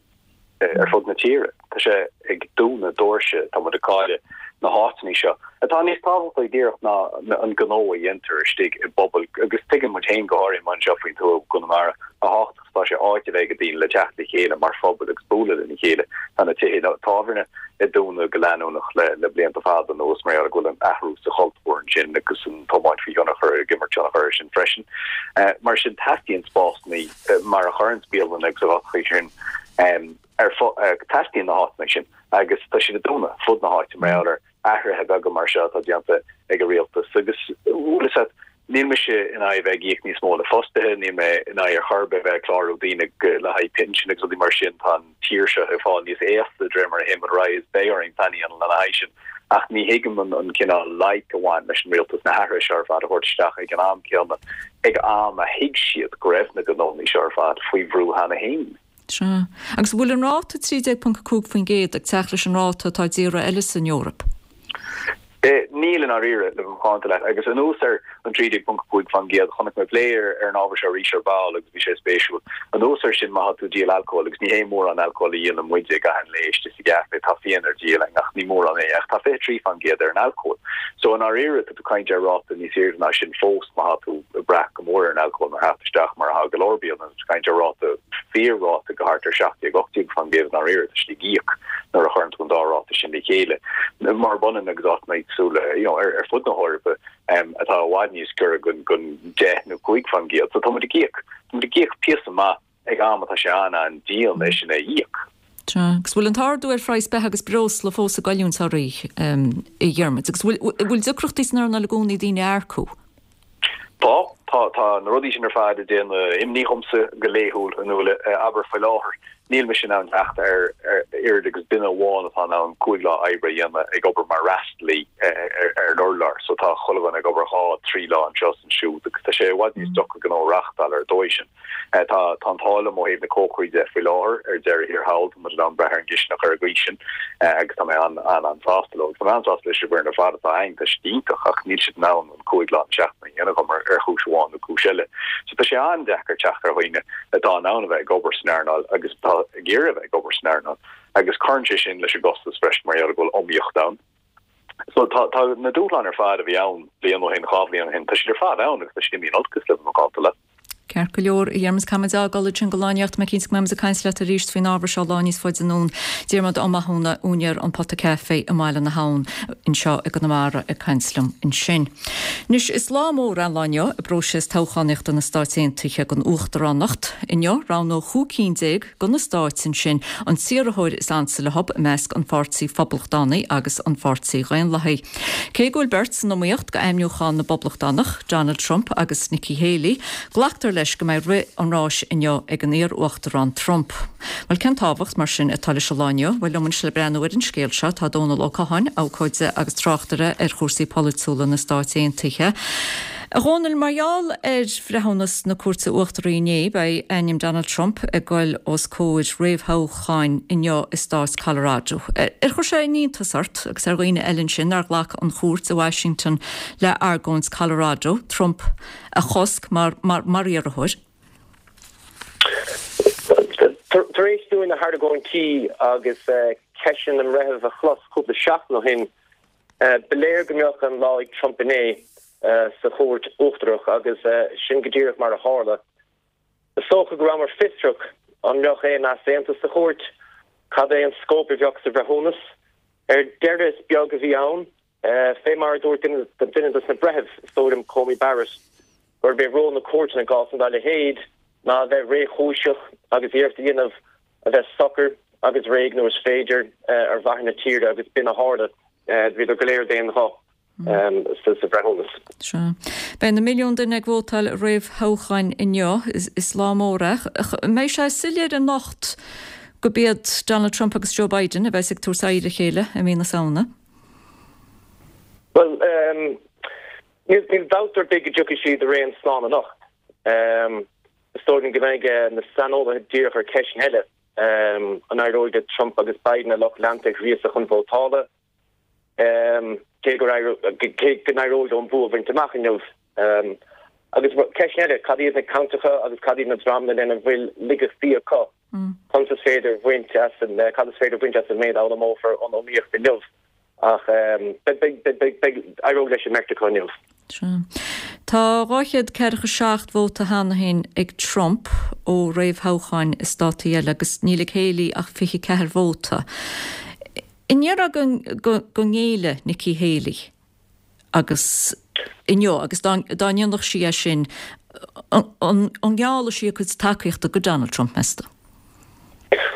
ar fud na tíre. Tá sé ag dúnadh doirse, tá muid ag cailleadh na háiteanna seo, atá níos tábhachtaí díreach ná an gnó a dhéantar istigh i bpobail agus tuigeann muid féin go háirithe amuigh anseo faoin tuath i gConamara a thábhachtach Tá sé áit a bheith ag daoine le teacht le chéile mar phobal agus bualadh lena chéile. Tá na tithe tábhairne ag dúnadh go leanúnach le blianta fada anuas mar gheall go bhfuil an athrú sa chultúr ansin agus an tiomáint faoi thionchar ag imirt tionchar air sin freisin. Mar sin teastaíonn spásanna mar a chuireann bialanna agus a áiteacha sin ar teastaíonn na háiteanna sin agus tá siad ag dúnadh fud na háite mar gheall ar athruithe beaga mar seo atá déanta ag an rialtas agus bhfuil fhios a't, níl mise in aghaidh bheith ag íoc níos mó le fostaithe, níl mé in aghaidh ar chor ar bith bheith ag clárú daoine le haghaidh pinsin agus rudaí mar sin, tá an tír seo ag fáil níos aosta de réir mar a théimid ar aghaidh is beidh orainn plean a dhéanamh lena haghaidh sin ach ní thuigim an cineál loighic a bhain leis an rialtas na hathruithe seo ar fad a thabhairt isteach ag an am céanna, ag am a thuig siad go raibh na gnónnaí seo ar fad faoi bhrú cheana féin. Sea. Agus an bhfuil an ráta 13.5% ag teacht leis an ráta atá i dtíortha eile san Eoraip? Níl i ndáiríre, le bheith macánta leat. Agus anuas ar an 13.5%, chonaic mé plé ar an ábhar seo arís ar ball agus bhí sé spéisiúil. Anuas air sin, má tá tú ag díol alcóil, agus ní hé mórán alcóil a dhíolann muide i gcaitheamh an lae istigh sa gcaifé, tá fíon ar díol againn ach ní mórán é, ach tá 23% ar an alcól. So i ndáiríre, tá tú ag caint ar ráta níos airde ná sin fós má tá tú ag brath go mór ar an alcól mar theacht isteach mar atá go leor bialanna. Tá tú ag caint ar ráta, fíor-ráta go thart ar 17, 18% i ndáiríre, tá siad ag íoc nuair a chuireann tú an dá ráta sin le chéile. Murab ionann agus áiteanna éagsúla you know, ar, ar fud na hEorpa um, atá i bhfad níos giorra gon, gon 10 nó 5%. So tá muid ag íoc, tá muid ag íoc píosa maith ag am atá sé an-an-dian é sin a íoc. Sea, agus bhfuil an t-ardú ar phraghas beatha agus breosla fós ag goilliúint oraibh, a Dhiarmuid? Agus bhfuil, bhfuil deacrachtaí san earnáil i gcónaí daoine a earcú? Tá, tá, tá na rudaí sin ar fad ag déanamh imní dhomsa go laethúil, a Nuala. Abair, faoi láthair, níl mise in ann teacht ar oiread agus duine amháin atá in ann 5 lá oibre a dhéanamh ag obair mar fhreastalaí ar an urlár. So tá chuile dhuine ag obair dhá, trí lá anseo is ansiúd agus tá sé i bhfad níos deacra gnó a reáchtáil ar an dóigh sin. Tá tá an t-ádh liom ó thaobh na cócairí de faoi láthair ar deireadh thiar thall, tá muid in ann breith ar an gcistineach ar an gcaoi sin agus tá mé an-an-an-sásta leo. Agus tá mé an-sásta leis an bhfoireann ar fad atá againn, tá siad iontach ach níl siad in ann an 5 lá na seachtaine a dhéanamh dhom ar chúis amháin nó cúis eile. So tá sé an-deacair teacht ar dhaoine atá in ann a bheith ag obair san earnáil agus atá ag iarraidh a bheith ag obair san earnáil agus cuireann sé sin leis an gcostas freisin mar gheall go bhfuil iomaíocht ann. So tá tá na dúshláin ar fad a bhí ann bliain ó shin, dhá bhliain ó shin, tá siad ar fad ann agus tá siad imithe in olcas le bheith macánta leat. Ceart go leor, a Dhiarmuid, caithfimid a fhágáil ansin go lá anocht. Tá mé cinnte go mbeimid ag caint leat arís faoin ábhar seo lá níos faide anonn. Diarmuid Ó Mathúna, úinéir An Pota Caife i mBaile na hAbhann anseo i gConamara ag caint liom ansin. Anois, is lá mór é an lá inniu i bpróiseas toghchánaíochta na Stáit Aontaithe don Uachtaránacht. Inniu, roghnóidh 15 cinn de na stáit ansin an t-iarrthóir is ansa leo i measc an Pháirtí Phoblachtánaigh agus an Pháirtí Dhaonlathaigh. Cé go bhfuil beirt san iomaíocht do ainmniúchán na bPoblachtánach, Donald Trump agus Nikki Haley, glactar leis go mbeidh rith an ráis inniu ag an iar-uachtarán Trump. Bhuel, cén tábhacht, mar sin, atá leis an lá inniu? Bhuel, liom anois le breathnú ar an scéal seo tá Dónal Ó Catháin, abhcóide agus tráchtaire ar chúrsaí polaitiúla na Stáit Aontaithe. A Dhónaill, mar gheall ar bhreithiúnas na Cúirte Uachtaraí inné, beidh ainm Donald Trump ag goil os comhair réamhthoghcháin inniu i stát Colorado. Ar chuir sé iontas ort, agus ar dhaoine eile ansin, nár ghlac an chúirt i Washington le argóint Colorado, Trump a chosc mar mar iarrthóir? Tar éis dúinn na hargóintí agus ceisteanna na mbreitheamh a chlos cúpla seachtain ó shin, Ba léir go mbeadh an lá ag Trump inné sa chúirt uachtarach agus sin go díreach mar a tharla. Is dócha go rabhamar fiosrach an mbeadh aon easaontas sa chúirt, cad é an scóip a bheadh sa bhreithiúnas. Ar deireadh is beag a bhí ann. Fé mar a dúirt duine dos na breithimh, is dóigh liom Coney Barrett, gurb é ról na cúirte i gcásanna dá leithéid ná a bheith réchúiseach agus iarracht a dhéanamh a bheith socair agus réidh nuair is féidir ar mhaithe na tíre agus b'in a tharla. Bhíodar go léir d'aon ghuth sa bhreithiúnas. Sea. Beidh na milliúin duine ag vótáil i réamhthoghcháin inniu. Is lá mór é. An mbeidh sé soiléir anocht gurb iad Donald Trump agus Joe Biden a bheas ag tabhairt aghaidh ar a chéile i mí na Samhna? Bhuel, níl dabht ar bith go dtiocfaidh siad araon slán anocht. Is dóigh liom go mbeidh na saineolaithe díreach ar ceisteanna eile, an éireoidh le Trump agus Biden a lucht leanta a ghríosadh chun vótála, cé go n-éireoidh leo an bua a bhaint amach inniu? Agus ceisteanna eile, cad iad na ceantracha agus cad iad na dreamanna lena bhfuil laigeachtaí acu? Conas is féidir bhaint as an, cad is féidir bhaint as an méid a fhoghlaimeofar ón iomaíocht inniu? Ach beidh, beidh, éireoidh leis an mbeirt acu inniu. Sea. Tá 247 vóta cheana féin ag Trump ó réamhthoghcháin i státaí eile agus níl ag Haley ach 24 vóta. An ndéarfá go ngéillfidh Nikki Haley agus inniu agus dá ndéanfadh sí é sin, an ngeállfadh sí a cuid tacaíochta go Donald Trump, meas tú?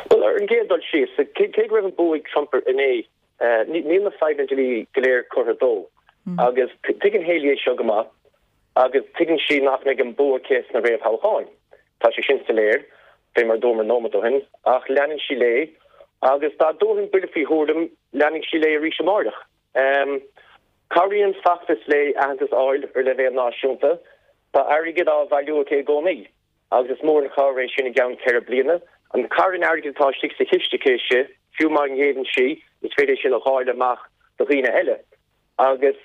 Bhuel, ar an gcéad dul síos, cé go raibh an bua ag Trump inné, Níl na fadhbanna dlí go léir curtha dó agus tuigeann Haley é seo go maith agus tuigeann sí nach mbeidh an bua aici sna réamhthoghcháin. Tá sé sin soiléir, fé mar a dúramar nóiméad ó shin, ach leanann sí léi agus dá dtabharfainn buille faoi thuairim, leanfaidh sí léi arís amáireach. Cabhraíonn an feachtas léi aitheantas a fháil ar leibhéal náisiúnta. Tá airgead á bhailiú aici i gcónaí. Agus is mór an chabhair é sin i gceann 4 bliana. An carn airgid atá istigh sa chiste aici, fiú má ghéilleann sí, is féidir é sin a dháileadh amach do dhaoine eile. Agus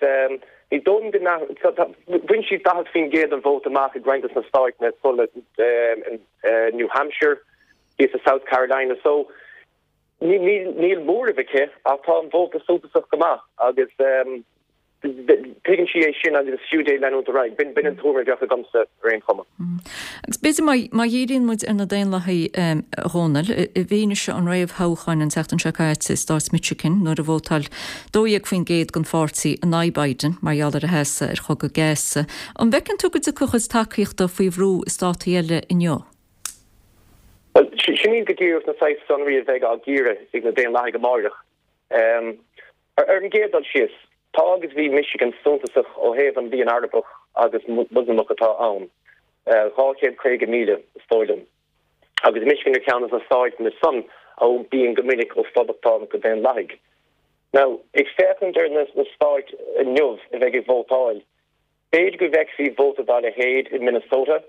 ní dóigh liom go n-athródh, bhain sí 40% den vóta amach i roinnt des na stáit sula in New Hampshire, thíos i South Carolina. So níl móramh aici ach tá an vóta suntasach go maith agus tuigeann sí é sin agus is fiú di leanúint ar aghaidh. B'in an tuairim a bheadh agamsa ar aon chuma. Agus b'fhéidir má dhíríonn muid ar na Daonlathaigh, a Dhónaill, i bhfianaise an réamhthoghcháin an tseachtain seo caite i stát Michigan nuair a vótáil 12% den pháirtí in aghaidh Biden mar gheall ar a sheasamh ar chogadh Gaza, an bhfeiceann tú go dtiocfaidh a chuid tacaíochta faoi bhrú i státaí eile inniu? Bhuel, sin iad go díreach na saghas sonraí a bheidh á gcíoradh ag na Daonlathaigh amáireach. Ar an gcéad dul síos, tá agus bhí Michigan suntasach ó thaobh an líon Arabach agus Moslamach atá ann, 250,000 is dóigh liom, agus Michigan ar cheann de na stáit san a iompaíonn go minic ó Phoblachtánach go Daonlathaigh. Now, ag féachaint ar na stáit inniu a bheidh ag vótáil, B'fhéidir go bhfeicfí vóta dá leithéid i Minnesota.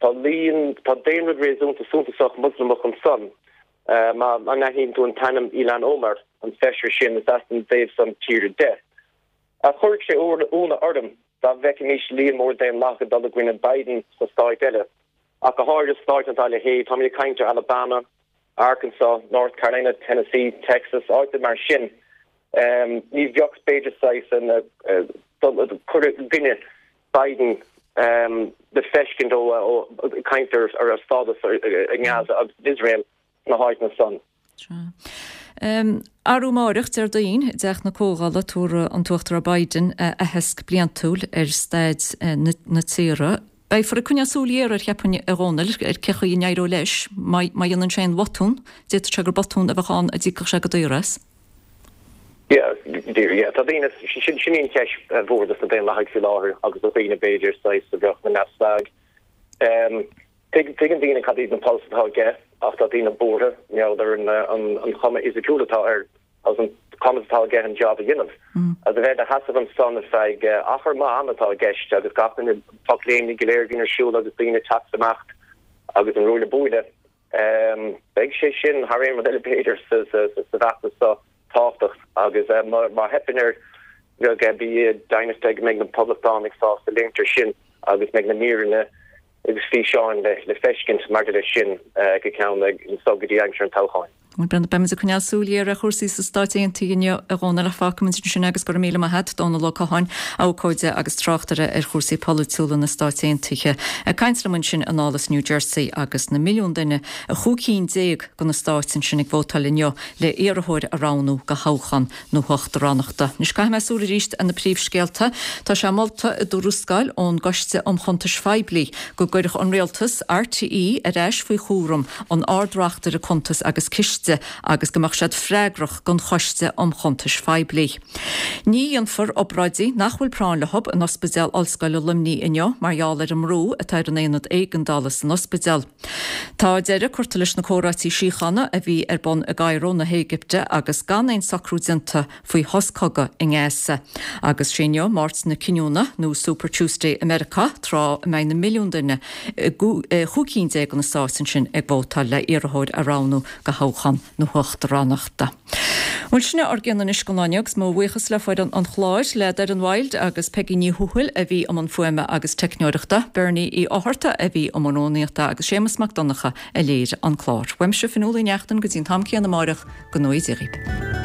Tá líon, tá daonra réasúnta suntasach Moslamach ansan. Má aithníonn tú an t-ainm Ilhan Omar, an feisire sin, is as an dtaobh san tíre di. Ach chuirfeadh sé ionadh orm dá bhfeicfimis líon mór Daonlathach ag dul i gcoinne Biden sna stáit eile, ach go háirithe stáit dá leithéid. Táimid ag caint ar Alabama, Arkansas, North Carolina, Tennessee, Texas, áiteanna mar sin. Ní bheadh, b'fhéidir, saghas cur i gcoinne Biden le feiscint ó caint ar a stádas i nGaza agus in Iosrael sna háiteanna san. Arú amáireach, Déardaoin, i dTeach na Comhdhála, tabharfaidh an tUachtarán Biden a aitheasc bliantúil ar staid na tíre. Beifear ag coinneáil súil ghéar air, cheapfainn, a Dhónaill, ar cé chaoi a n-éireoidh leis. Má dhéanann sé aon bhotún, d'fhéadfadh sé gur botún a bheadh ann a d'íocfadh sé go daor as. Yeah, yeah, tá daoine, sin í an cheist mhór dos na Daonlathaigh faoi láthair agus do dhaoine b'fhéidir saghas a bheadh ina neamhspleáigh. Tuigeann daoine cad iad na polasaithe atá aige ach tá daoine buartha mar gheall ar an chuma fhisiciúil atá air agus an cumas atá aige an job a dhéanamh. Agus a bheith ina sheasamh ansan ar feadh achar maith ama atá i gceist agus gach duine, pocléimní go léir a bhíonn ar siúl agus daoine ag teacht is imeacht agus an ruaille buaille. Beidh sé sin, thar aon rud eile b'fhéidir, sa bhfeachtas seo tábhachtach agus má theipeann air bheadh bí deimhneach de go mbeidh na Poblachtánaigh sásta léimt air sin agus mbeidh na míreanna agus físeáin le feiscint maidir leis sin go ceann anso go dtí aimsir an toghcháin. Bhuel, beimid ag coinneáil súil ghéar ar chúrsaí sna Stáit Aontaithe inniu, a Dhónaill, ach fágfaimid ansin é agus go raibh míle maith agat, Dónall Ó Catháin, abhcóide agus tráchtaire ar chúrsaí polaitiúla na Stáit Aontaithe, ag caint liom ansin anall as New Jersey agus na milliúin duine i chúig cinn déag de na stáit ansin ag vótáil inniu le iarrthóir a roghnú do thoghchán na huachtaránachta. Anois caithfidh mé súil arís ar na príomhscéalta. Tá sé molta i dtuarascáil ón gCoiste um Chuntais Phoiblí go gcuirfeadh an Rialtas RTÉ ar ais faoi chúram an Ard-Reachtaire Cuntas agus Ciste agus go mbeadh siad freagrach don Choiste um Chuntais Phoiblí. Ní dhéanfar obráidí nach bhfuil práinn leo in Ospidéal Ollscoile Luimnigh inniu mar gheall ar an mbrú atá ar an aonad éigeandála san ospidéal. Tá deireadh curtha leis na comhráití síochána a bhí ar bun i gCairo na hÉigipte agus gan aon socrú déanta faoi shos cogaidh i nGaza. Agus sé inniu Máirt na Cinniúna, nó Super Tuesday i Meiriceá, tráth a mbeidh na milliúin duine i gcúig cinn déag de na stáit ansin ag vótáil le iarrthóir a roghnú do thoghchán na huachtaránachta. Bhuel, sin é ár gcion anois don lá inniu agus mo bhuíochas le foireann an chláir, le Doireann Wild agus Peigí Ní Thuathail a bhí i mbun fuaime agus teicneoireachta, Bernie Uí Fhátharta a bhí i mbun rúnaíochta agus Séamus Mac Donncha a léirigh an clár. Uaimse Fionnuala Uí Neachtain go dtí an t-am céanna amáireach, go ngnóthaí Dia dhaoibh.